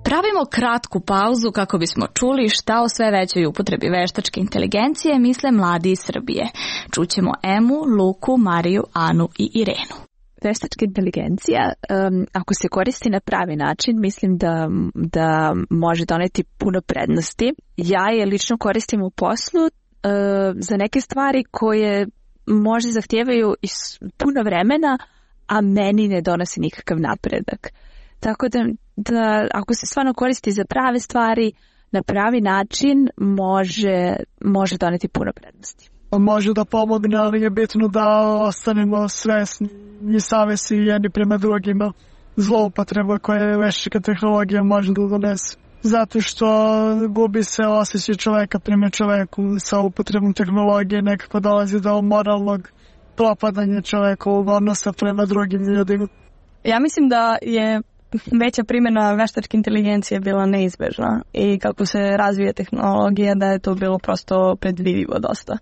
Pravimo kratku pauzu kako bismo čuli šta o sve većoj upotrebi veštačke inteligencije misle mladi iz Srbije. Čućemo Emu, Luku, Mariju, Anu i Irenu. Veštačka inteligencija, ako se koristi na pravi način, mislim da može doneti puno prednosti. Ja je lično koristim u poslu za neke stvari koje možda zahtijevaju puno vremena, a meni ne donosi nikakav napredak. Tako da ako se stvarno koristi za prave stvari, na pravi način može doneti puno prednosti. Može da pomogne, ali je bitno da ostanemo svesni i savesti jedni prema drugima. Zloupotreba koje veštačka tehnologija može da donese. Zato što gubi se osjećaj čoveka prema čoveku sa upotrebom tehnologije, nekako dolazi do moralnog propadanja čovekovog odnosa prema drugim ljudima. Ja mislim da je veća primjena veštačke inteligencije bila neizbežna i kako se razvija tehnologija da je to bilo prosto predvidivo dosta.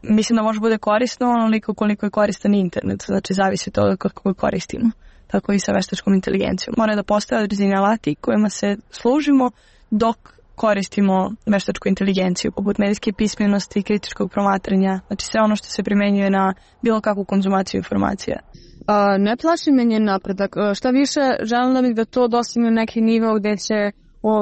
Mislim da može bude korisno onoliko koliko je koristan internet, znači zavisi od toga kako je koristimo, tako i sa veštačkom inteligencijom. Mora da postoje određeni alati kojima se služimo dok koristimo veštačku inteligenciju, poput medijske pismenosti, kritičkog promatranja, znači sve ono što se primenjuje na bilo kakvu konzumaciju informacija. Ne plaši me njen napredak. Šta više, želim da bih da to dostigne neki nivo gdje će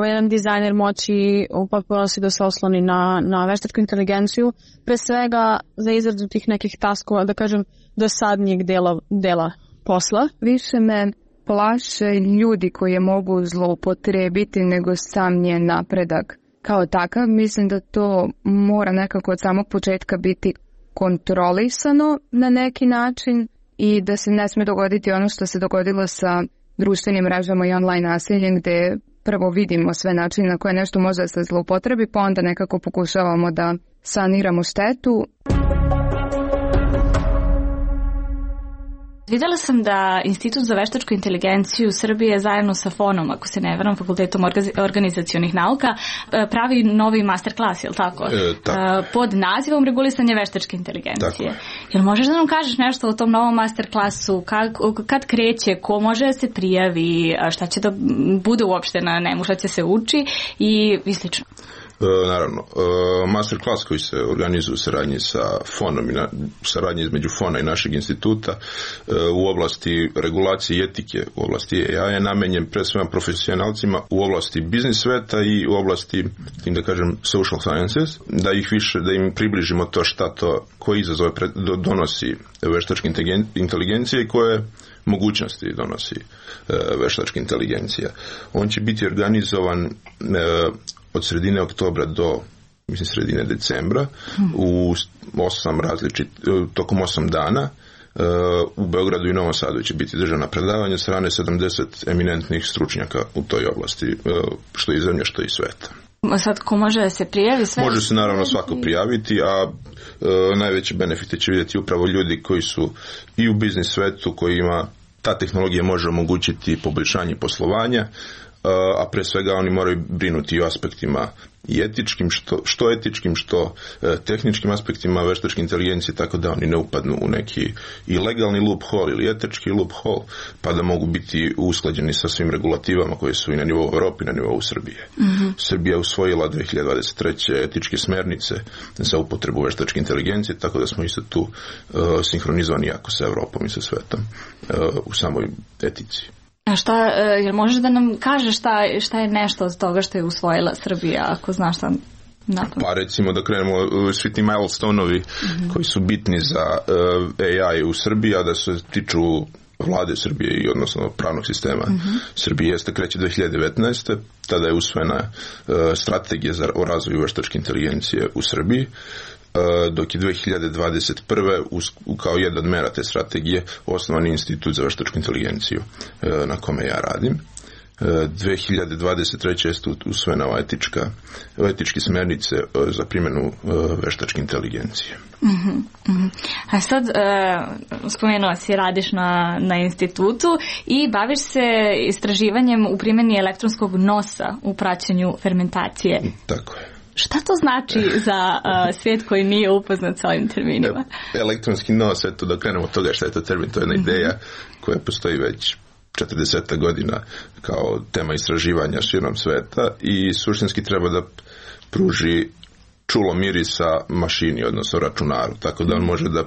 jedan dizajner moći u potpunosti da se osloni na veštačku inteligenciju, pre svega za izradu tih nekih taskova, da kažem, dosadnijeg dela posla. Više me plaše ljudi koje mogu zloupotrebiti nego sam njen napredak. Kao takav, mislim da to mora nekako od samog početka biti kontrolisano na neki način i da se ne smije dogoditi ono što se dogodilo sa društvenim mrežama i online nasiljem, gdje prvo vidimo sve načine na koje nešto može da se zloupotrebi, pa onda nekako pokušavamo da saniramo štetu. Videla sam da Institut za veštačku inteligenciju Srbije zajedno sa FON-om, ako se ne varam, Fakultetom organizacionih nauka, pravi novi master klas, je li tako? Pod nazivom regulisanje veštačke inteligencije. Jel možeš da nam kažeš nešto o tom novom master klasu? Kad kreće? Ko može da se prijavi? Šta će da bude uopšte na njemu? Šta će se uči? I slično. Naravno, masterclass koji se organizuje u saradnji sa FON-om i saradnji između FON-a i našeg instituta u oblasti regulacije i etike u oblasti AI je namenjen pre svema profesionalcima u oblasti biznis sveta i u oblasti, da kažem, social sciences, da im približimo to koje izazove donosi veštačka inteligencija i koje mogućnosti donosi veštačka inteligencija. On će biti organizovan od sredine oktobra do sredine decembra tokom 8 dana. U Beogradu i Novom Sadu će biti državna predavanja strane 70 eminentnih stručnjaka u toj oblasti, što iz zemlje, što iz sveta. Sad, ko može da se prijavi? Sve može se naravno svako prijaviti, a najveće benefite će vidjeti upravo ljudi koji su i u biznis svetu, kojima ta tehnologija može omogućiti poboljšanje poslovanja, a pre svega oni moraju brinuti i o aspektima i etičkim, što etičkim, što tehničkim aspektima veštačke inteligencije, tako da oni ne upadnu u neki i legalni loophole ili etički loophole, pa da mogu biti usklađeni sa svim regulativama koje su i na nivou Europe i na nivou Srbije. Srbija je usvojila 2023. etičke smernice za upotrebu veštačke inteligencije, tako da smo isto tu sinhronizovani jako sa Europom i sa svetom u samoj etici. A šta, jel možeš da nam kažeš šta je nešto od toga što je usvojila Srbija, ako znaš šta napamet? Pa recimo da krenemo svi ti milestone-ovi koji su bitni za AI u Srbiji, a da se tiču vlade Srbije i odnosno pravnog sistema Srbije, jeste kreće 2019. Tada je usvojena strategija o razvoju veštačke inteligencije u Srbiji, dok je 2021. kao jedna od mera te strategije osnovani institut za veštačku inteligenciju na kome ja radim. 2023. je usvojena etičke smernice za primjenu veštačke inteligencije. A sad, spomenuo si, radiš na institutu i baviš se istraživanjem u primjeni elektronskog nosa u praćenju fermentacije. Tako je. Šta to znači za svijet koji nije upoznat sa ovim terminima? Elektronski nos, eto da krenemo od toga šta je to termin, to je jedna ideja koja postoji već 40 godina kao tema istraživanja širom sveta i suštinski treba da pruži čulo mirisa mašini, odnosno računaru, tako da on može da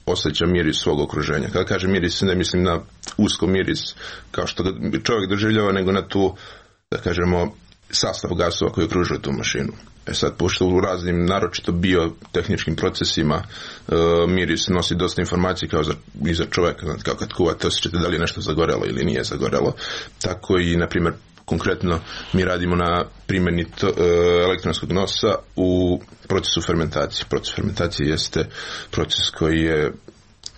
osjeća miris svog okruženja. Kada kaže miris, ne mislim na usko miris kao što ga čovjek doživljava, nego na tu, da kažemo, sastav gasova koji okružuje tu mašinu. Sad, pošto u raznim, naročito biotehničkim procesima, miris nosi dosta informacije kao i za čovjeka, znači kao kad kuvate, osjećate da li je nešto zagorelo ili nije zagorelo. Tako i, na primjer, konkretno mi radimo na primjeni elektronskog nosa u procesu fermentacije. Proces fermentacije jeste proces koji je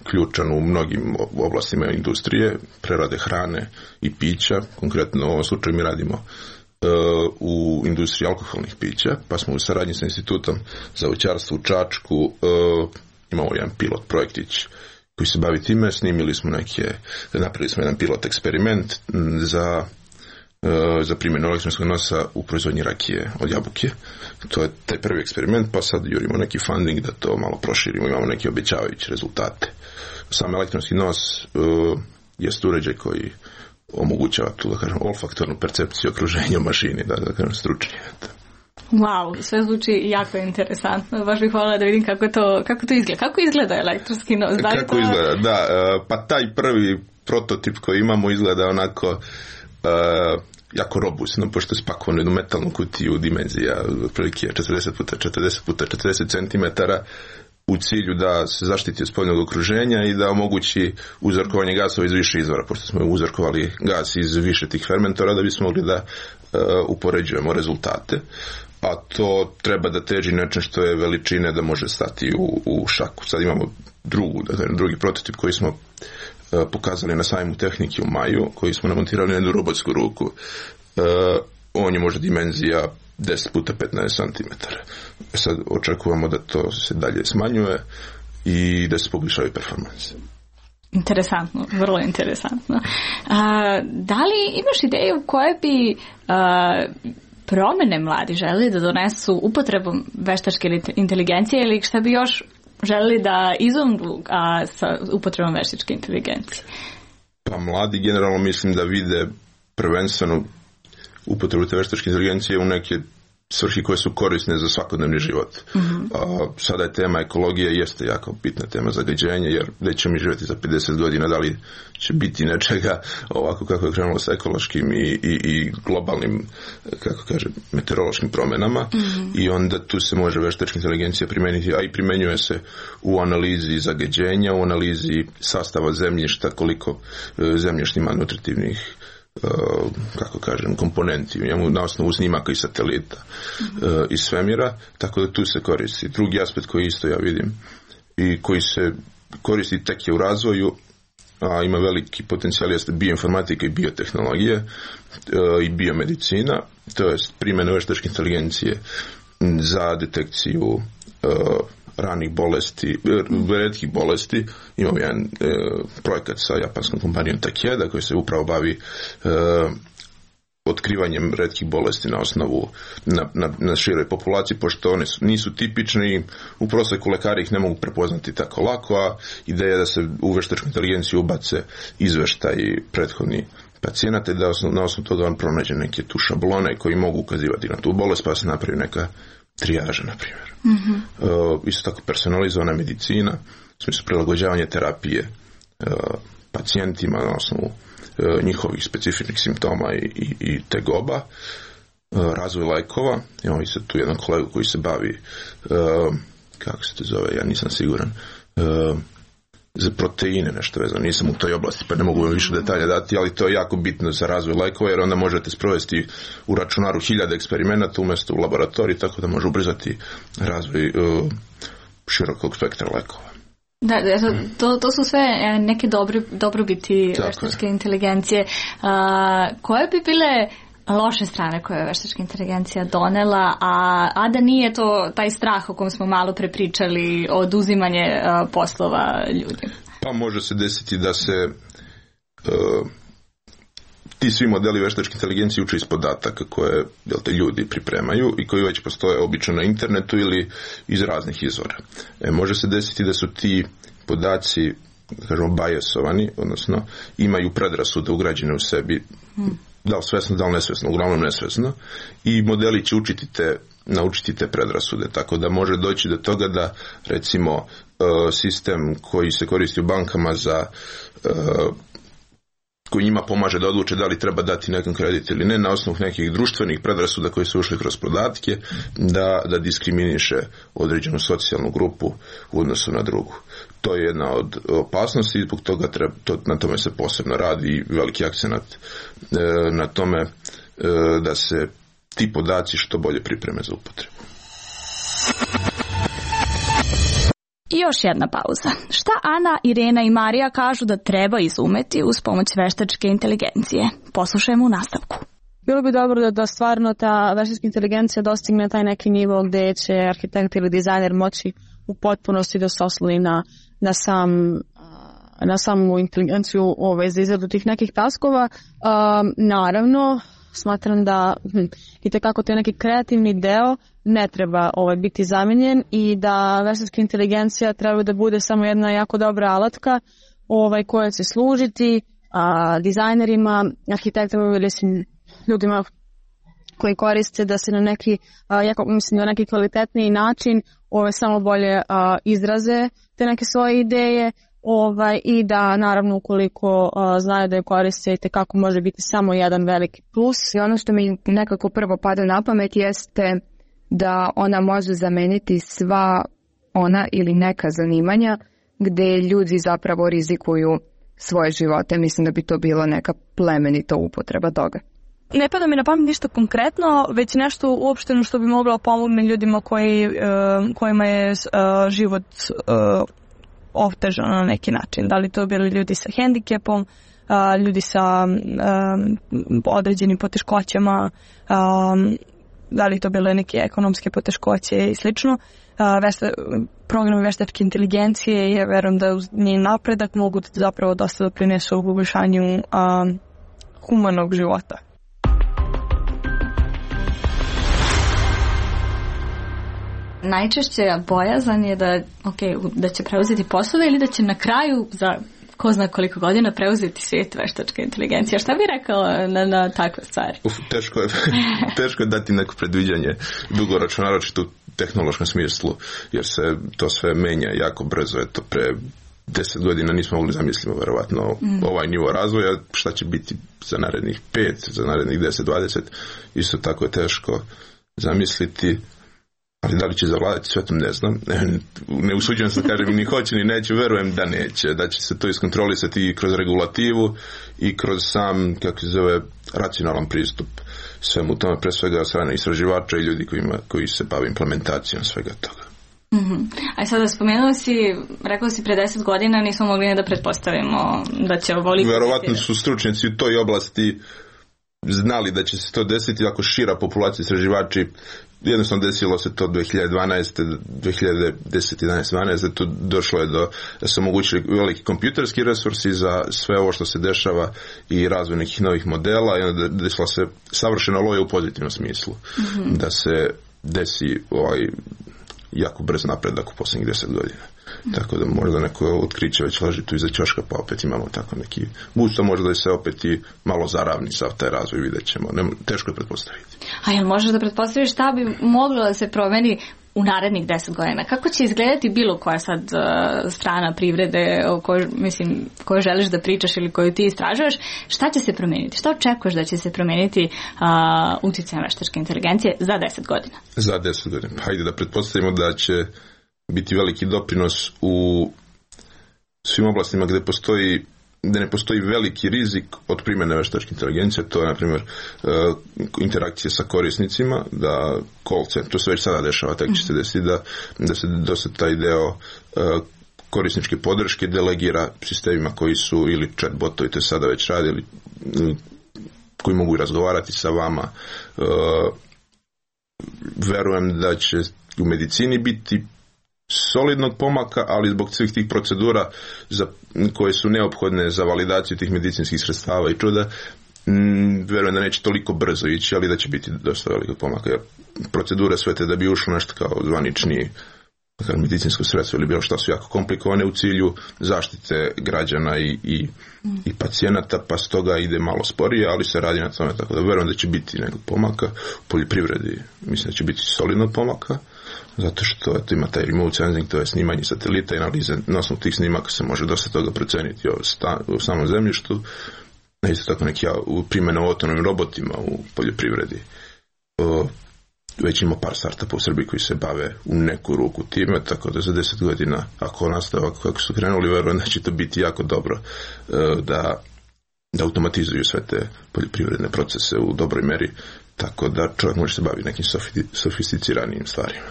ključan u mnogim oblastima industrije, prerade hrane i pića. Konkretno u ovom slučaju mi radimo u industriji alkoholnih pića, pa smo u saradnji sa institutom za voćarstvo u Čačku imamo jedan pilot projektić koji se bavi time, napravili smo jedan pilot eksperiment za primjenu elektronskog nosa u proizvodnji rakije od jabuke. To je taj prvi eksperiment, pa sad jurimo neki funding da to malo proširimo, imamo neke obećavajuće rezultate. Sam elektronski nos jest uređaj koji omogućava tu, da kažem, olfaktornu percepciju okruženja u mašini, da kažem, stručnije. Wow, sve zvuči jako interesantno. Baš bih voljela da vidim kako to izgleda. Kako izgleda elektronski nos? Kako izgleda, da. Pa taj prvi prototip koji imamo izgleda onako jako robustno, pošto je spakovan u jednu metalnu kutiju dimenzija otprilike 40x40x40 cm, u cilju da se zaštiti od spoljnog okruženja i da omogući uzorkovanje gasova iz više izvora, pošto smo uzorkovali gas iz više tih fermentora da bismo mogli da upoređujemo rezultate. A to treba da teži nečem što je veličine da može stati u šaku. Sad imamo drugi prototip koji smo pokazali na sajmu tehnike u maju, koji smo namontirali na jednu robotsku ruku. On je možda dimenzija 10x15 cm. Sad očekujemo da to se dalje smanjuje i da se poboljšaju performanse. Interesantno, vrlo interesantno. Da li imaš ideju koje bi promene mladi želi da donesu upotrebom veštačke inteligencije ili šta bi još želi da izumru sa upotrebom veštačke inteligencije? Pa mladi generalno mislim da vide prvenstveno upotrebu te veštačke inteligencije u neke svrhi koje su korisne za svakodnevni život. Sada je tema ekologije, jeste jako bitna tema zagađenja, jer gdje ćemo mi živjeti za 50 godina, da li će biti nečega ovako kako je krenulo sa ekološkim i globalnim, kako kaže, meteorološkim promjenama, i onda tu se može veštačka inteligencija primijeniti, a i primjenjuje se u analizi zagađenja, u analizi sastava zemljišta, koliko zemljište ima nutritivnih, kako kažem, komponenti na osnovu snimaka i satelita iz svemira, tako da tu se koristi. Drugi aspekt koji isto ja vidim i koji se koristi tek je u razvoju, a ima veliki potencijal, jeste bioinformatika i biotehnologije i biomedicina, to je primjena veštačke inteligencije za detekciju ranih bolesti, retkih bolesti. Imamo jedan projekat sa japanskom kompanijom Takeda koji se upravo bavi otkrivanjem retkih bolesti na osnovu na široj populaciji, pošto one nisu tipični, u proseku lekari ih ne mogu prepoznati tako lako, a ideja je da se u veštačku inteligenciju ubace izveštaji prethodni pacijenata i da na osnovu toga on pronađe neke tu šablone koji mogu ukazivati na tu bolest, pa se napravi neka trijaža, na primjer. Isto tako personalizovana medicina, u smislu prilagođavanja terapije pacijentima na osnovu njihovih specifičnih simptoma i tegoba, razvoj lekova. Imamo i sad tu jedan kolegu koji se bavi, kako se to zove, ja nisam siguran, za proteine nešto vezano, nisam u toj oblasti pa ne mogu više detalja dati, ali to je jako bitno za razvoj lekova, jer onda možete sprovesti u računaru 1000 eksperimenata umjesto u laboratoriji, tako da može ubrzati razvoj širokog spektra lekova. Da, to su sve neke dobrobiti veštačke inteligencije. Koje bi bile loše strane koje je veštačka inteligencija donela, a da nije to taj strah o kom smo malo prepričali, oduzimanje poslova ljudi? Pa može se desiti da se ti svi modeli veštačke inteligencije uče iz podataka koje ljudi pripremaju i koji već postoje obično na internetu ili iz raznih izvora. Može se desiti da su ti podaci, da kažemo, biasovani, odnosno imaju predrasude ugrađene u sebi, da li svesno, da li nesvesno, uglavnom nesvesno, i modeli će naučiti te predrasude, tako da može doći do toga da, recimo, sistem koji se koristi u bankama za koji njima pomaže da odluče da li treba dati nekom kredit ili ne, na osnovu nekih društvenih predrasuda koji su ušli kroz podatke, da diskriminiše određenu socijalnu grupu u odnosu na drugu. To je jedna od opasnosti i zbog toga na tome se posebno radi i veliki akcenat na tome da se ti podaci što bolje pripreme za upotrebu. I još jedna pauza. Šta Ana, Irena i Marija kažu da treba izumeti uz pomoć veštačke inteligencije? Poslušajmo u nastavku. Bilo bi dobro da stvarno ta veštačka inteligencija dostigne taj neki nivo gdje će arhitekt ili dizajner moći u potpunosti da se osloni na samu inteligenciju za izradu tih nekih taskova. Naravno, smatram da itekako to je neki kreativni deo ne treba biti zamijenjen i da veštačka inteligencija treba da bude samo jedna jako dobra alatka koja će služiti dizajnerima, arhitektama ili ljudima koji koriste da se na neki, na neki kvalitetniji način samo bolje izraze te neke svoje ideje i da naravno ukoliko znaju da je koriste i tekako može biti samo jedan veliki plus. I ono što mi nekako prvo pada na pamet jeste da ona može zameniti sva ona ili neka zanimanja gdje ljudi zapravo rizikuju svoje živote. Mislim da bi to bilo neka plemenita upotreba toga. Ne pada mi na pamet ništa konkretno, već nešto uopšteno što bi moglo pomogne ljudima kojima je život otežano na neki način. Da li to bili ljudi sa hendikepom, ljudi sa određenim poteškoćama, da li to bile neke ekonomske poteškoće i slično. Programi veštačke inteligencije, ja verujem da uz njen napredak mogu zapravo dosta doprinesu u poboljšanju humanog života. Najčešće bojazan je da će preuzeti poslove ili da će na kraju za ko zna koliko godina preuzeti svijet veštačke inteligencije. Šta bi rekao na takve stvari? Teško je dati neko predviđanje dugoročno, naročito u tehnološkom smislu, jer se to sve menja jako brzo. Eto, pre 10 godina nismo mogli zamisliti verovatno ovaj nivo razvoja, šta će biti za narednih 5, za narednih 10, 20, isto tako je teško zamisliti. Ali da li će zavladati svetom, ne znam. Ne usuđujem se da kažem ni hoće ni neće, verujem da neće. Da će se to iskontrolisati i kroz regulativu i kroz sam, kako se zove, racionalan pristup svemu tome, pre svega od strane istraživača i ljudi koji se bave implementacijom svega toga. A sada rekao si pre 10 godina nismo mogli da pretpostavimo da će ovoliko... Verovatno su stručnjaci u toj oblasti znali da će se to desiti ako šira populacija istraživači. Jednostavno desilo se to 2012. 2010. 11. 12. Došlo je da su omogućili veliki kompjuterski resursi za sve ovo što se dešava i razvoj nekih novih modela i onda desila se savršena loja u pozitivnom smislu. Da se desi jako brz napredak u posljednjih 10 godina. Tako da možda neko otkriće već leži tu iza ćoška, pa opet imamo tako neki busto, možda da se opet i malo zaravni sav taj razvoj, vidjet ćemo. Teško je pretpostaviti. A jel možeš da pretpostaviš šta bi moglo da se promeni u narednih 10 godina? Kako će izgledati bilo koja sad strana privrede o kojoj želiš da pričaš ili koju ti istražuješ? Šta će se promeniti? Šta očekuješ da će se promeniti utjecajem veštačke inteligencije za 10 godina? Za 10 godina. Hajde da pretpostavimo da će biti veliki doprinos u svim oblastima gde ne postoji veliki rizik od primjene veštačke inteligencije, to je, na primjer, interakcije sa korisnicima, da call center, to se već sada dešava, tako će se desiti da se dosta taj deo korisničke podrške delegira sistemima koji su ili chatbotovi, to je sada već radi, ili koji mogu razgovarati sa vama. Verujem da će u medicini biti solidnog pomaka, ali zbog svih tih procedura koje su neophodne za validaciju tih medicinskih sredstava i čuda, verujem da neće toliko brzo ići, ali da će biti dosta velikog pomaka. Jer procedure sve te da bi ušlo nešto kao zvanični medicinsko sredstvo ili bilo šta su jako komplikovane u cilju zaštite građana i pacijenata, pa stoga ide malo sporije, ali se radi na tome, tako da verujem da će biti nekog pomaka. U poljoprivredi mislim da će biti solidnog pomaka, zato što ima taj remote sensing, to je snimanje satelita i analize. Na osnovu tih snimaka se može dosta toga proceniti u samom zemljištu. Isto tako neki primjena o autonomnim robotima u poljoprivredi. Već ima par startupa u Srbiji koji se bave u neku ruku time, tako da za 10 godina, ako nastave ovako kako su krenuli, verujem da će to biti jako dobro da automatizuju sve te poljoprivredne procese u dobroj meri, tako da čovjek može se baviti nekim sofisticiranijim stvarima.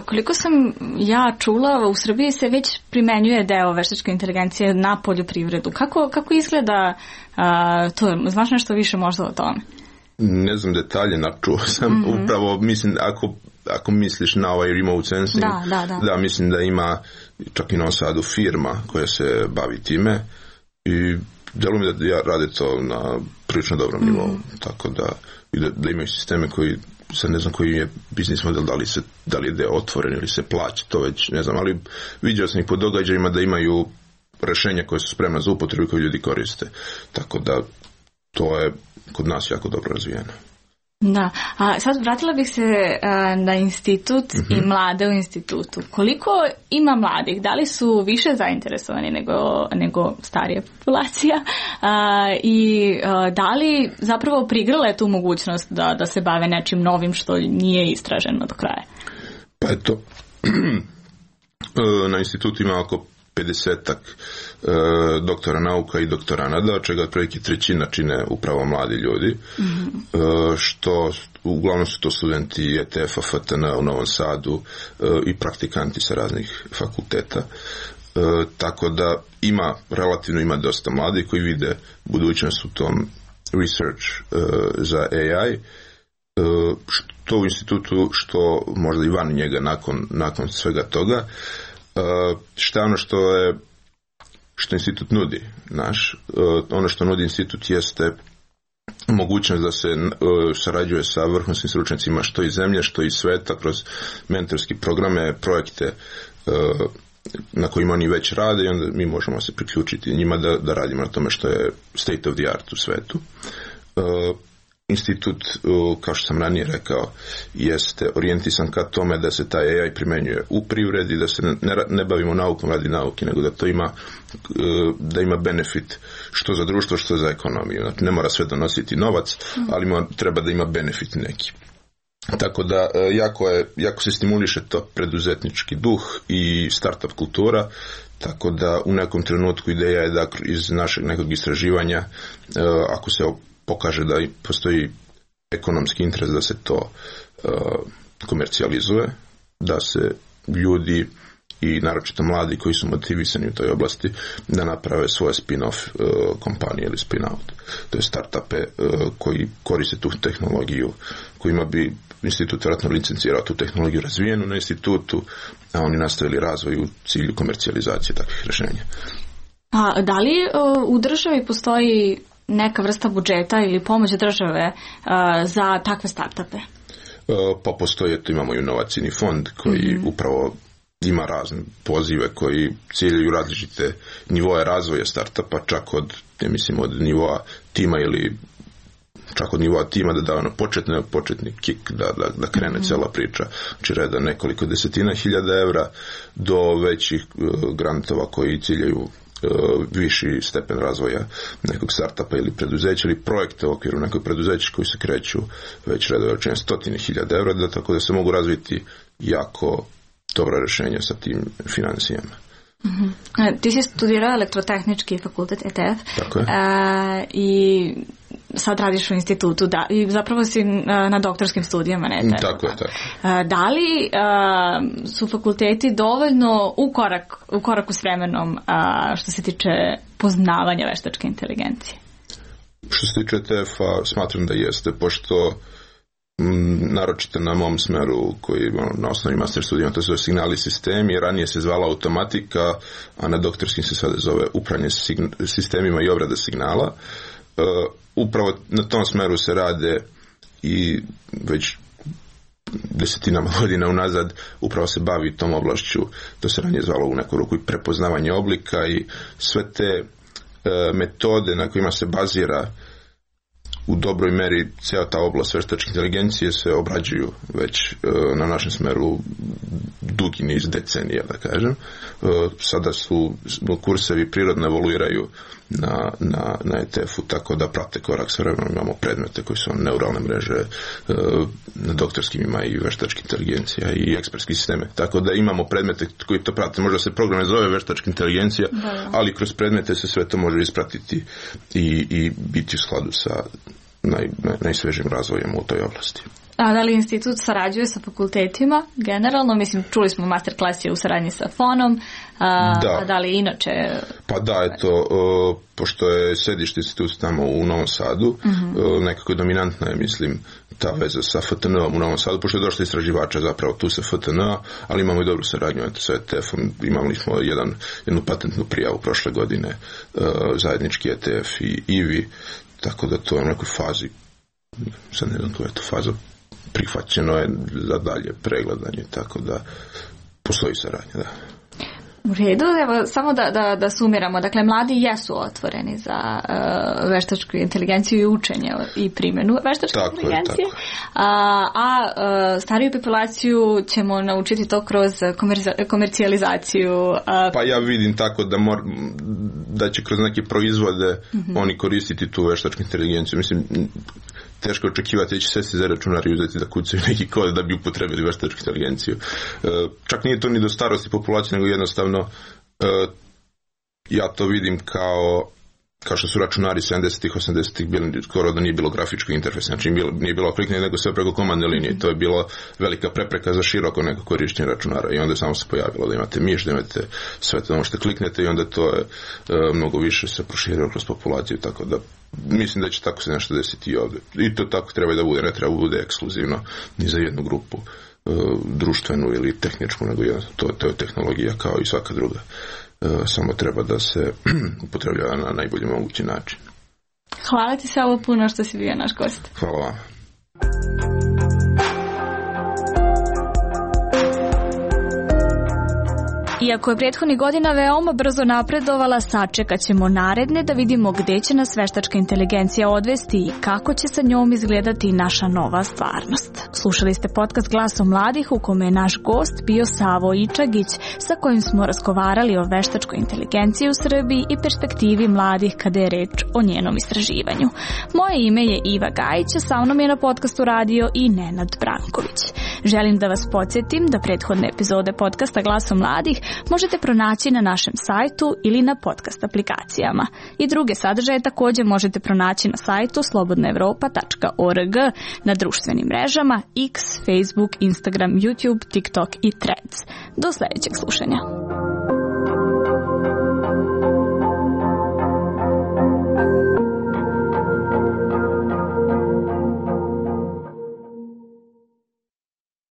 Koliko sam ja čula, u Srbiji se već primenjuje deo veštačke inteligencije na poljoprivredu. Kako izgleda to? Znaš nešto više možda o tome? Ne znam detalje, načuo sam upravo, mislim, ako misliš na ovaj remote sensing, da, mislim da ima čak i na Sadu firma koja se bavi time i delo mi da rade to na prilično dobrom nivou, tako da imaju sisteme koji, sad ne znam koji je biznis model, da li je deo otvoren ili se plaća, to već ne znam, ali vidio sam ih po događajima da imaju rešenja koje su spremna za upotrebu i koje ljudi koriste, tako da to je kod nas jako dobro razvijeno. Da, a sad vratila bih se na institut i mlade u institutu. Koliko ima mladih? Da li su više zainteresovani nego starija populacija? I da li zapravo prigrle tu mogućnost da se bave nečim novim što nije istraženo do kraja? Pa eto, na institutu ima oko 50-ak doktora nauka i doktoranada, od čega otprilike trećina čine upravo mladi ljudi, što uglavnom su to studenti ETF-a, FTN u Novom Sadu i praktikanti sa raznih fakulteta. Tako da ima dosta mladih koji vide budućnost u tom research za AI, što u institutu, što možda i van njega nakon svega toga. Šta je ono što institut nudi ono što nudi institut jeste mogućnost da se sarađuje sa vrhunskim stručnjacima što iz zemlje, što iz sveta, kroz mentorski programe, projekte na kojima oni već rade i onda mi možemo se priključiti njima da radimo na tome što je state of the art u svetu. Institut, kao što sam ranije rekao, jeste orijentisan ka tome da se taj AI primenjuje u privredi, da se ne bavimo naukom radi nauke, nego da ima benefit što za društvo, što za ekonomiju. Znači, ne mora sve donositi novac, ali treba da ima benefit neki. Tako da jako se stimuliše to preduzetnički duh i startup kultura, tako da u nekom trenutku ideja je da iz našeg nekog istraživanja, ako se pokaže da postoji ekonomski interes da se to komercijalizuje, da se ljudi i naročito mladi koji su motivisani u toj oblasti da naprave svoje spin-off kompanije ili spin-out. To je startupe koji koriste tu tehnologiju, kojima bi institut vjerojatno licencirao tu tehnologiju razvijenu na institutu, a oni nastavili razvoj u cilju komercijalizacije takvih rješenja. A da li u državi postoji neka vrsta budžeta ili pomoć države za takve startupe? Pa postoje, imamo inovacijni fond koji upravo ima razne pozive koji ciljaju različite nivoje razvoja startupa, čak od nivoa tima ili čak od nivoa tima da da početni kick, da krene cijela priča, znači reda nekoliko desetina hiljada evra do većih grantova koji ciljaju viši stepen razvoja nekog startupa ili preduzeća ili projekta u okviru nekog preduzeća koji se kreću već redove veličine 100.000 evra, tako da se mogu razviti jako dobra rješenja sa tim financijama. Ti si studirao elektrotehnički fakultet ETF. Tako je. I sad radiš u institutu i zapravo si na doktorskim studijama. Tako je. Da li su fakulteti dovoljno u koraku s vremenom što se tiče poznavanja veštačke inteligencije? Što se tiče ETF-a smatram da jeste, pošto naročito na mom smeru koji na osnovi master studijama, to se zove signali sistemi, ranije se zvala automatika, a na doktorskim se sada zove upravljanje sistemima i obrada signala. Upravo na tom smeru se rade i već desetinama godina unazad upravo se bavi tom oblašću, to se ranije zvalo u neku ruku i prepoznavanje oblika i sve te metode na kojima se bazira u dobroj meri cijela ta oblast veštačke inteligencije se obrađuju već na našem smeru dugi niz decenija, da kažem. Sada su kursevi prirodno evoluiraju na ETF-u, tako da prate korak s vremenom. Imamo predmete koji su neuralne mreže, na doktorskim ima i veštačka inteligencija i ekspertski sisteme. Tako da imamo predmete koji to prate. Možda se program ne zove veštačka inteligencija, ali kroz predmete se sve to može ispratiti i biti u skladu sa najsvežim razvojem u toj oblasti. A da li institut sarađuje sa fakultetima generalno? Mislim, čuli smo master klas je u saradnji sa FON-om, a da li inače? Pa da, eto, pošto je sedište institut tamo u Novom Sadu, nekako dominantna je, mislim, ta veza sa FTN-om u Novom Sadu, pošto je došlo istraživača zapravo tu sa FTN-a, ali imamo i dobru saradnju sa ETF-om, imali smo jednu patentnu prijavu prošle godine, zajednički ETF i IVI, tako da to je u nekoj fazi, sad ne znam tu je to faza, prihvaćeno je za dalje pregledanje, tako da postoji saradnja, da. U redu, evo, samo da sumiramo. Dakle, mladi jesu otvoreni za veštačku inteligenciju i učenje i primjenu veštačke inteligencije. A stariju populaciju ćemo naučiti to kroz komercijalizaciju. Pa ja vidim tako da će kroz neke proizvode oni koristiti tu veštačku inteligenciju. Mislim, teško očekivati da će sesti za računar i uzeti da kucaju neki kod da bi upotrebili veštačku inteligenciju. Čak nije to ni do starosti populacije, nego jednostavno ja to vidim kao što su računari 70-ih, 80-ih bili, skoro da nije bilo grafičkog interfejsa, znači nije bilo kliknje, nego sve preko komandne linije. To je bilo velika prepreka za široko neko korištenje računara i onda samo se pojavilo da imate miš, da imate sve to možete kliknete i onda to je mnogo više se proširilo kroz populaciju, tako da mislim da će tako se nešto desiti i ovdje. I to tako treba da bude, ne treba da bude ekskluzivno ni za jednu grupu društvenu ili tehničku, nego to je tehnologija kao i svaka druga. Samo treba da se upotrebljava na najbolji mogući način. Hvala ti Savo puno što si bio naš gost. Hvala vam. Iako je prethodnih godina veoma brzo napredovala, sačekat ćemo naredne da vidimo gde će nas veštačka inteligencija odvesti i kako će sa njom izgledati naša nova stvarnost. Slušali ste podcast Glasom mladih u kome je naš gost bio Savo Ičagić, sa kojim smo razgovarali o veštačkoj inteligenciji u Srbiji i perspektivi mladih kada je reč o njenom istraživanju. Moje ime je Iva Gajić, a sa mnom je na podcastu radio i Nenad Branković. Želim da vas podsjetim da prethodne epizode podcasta Glaso mladih možete pronaći na našem sajtu ili na podcast aplikacijama. I druge sadržaje također možete pronaći na sajtu slobodnaevropa.org, na društvenim mrežama X, Facebook, Instagram, YouTube, TikTok i Threads. Do sljedećeg slušanja.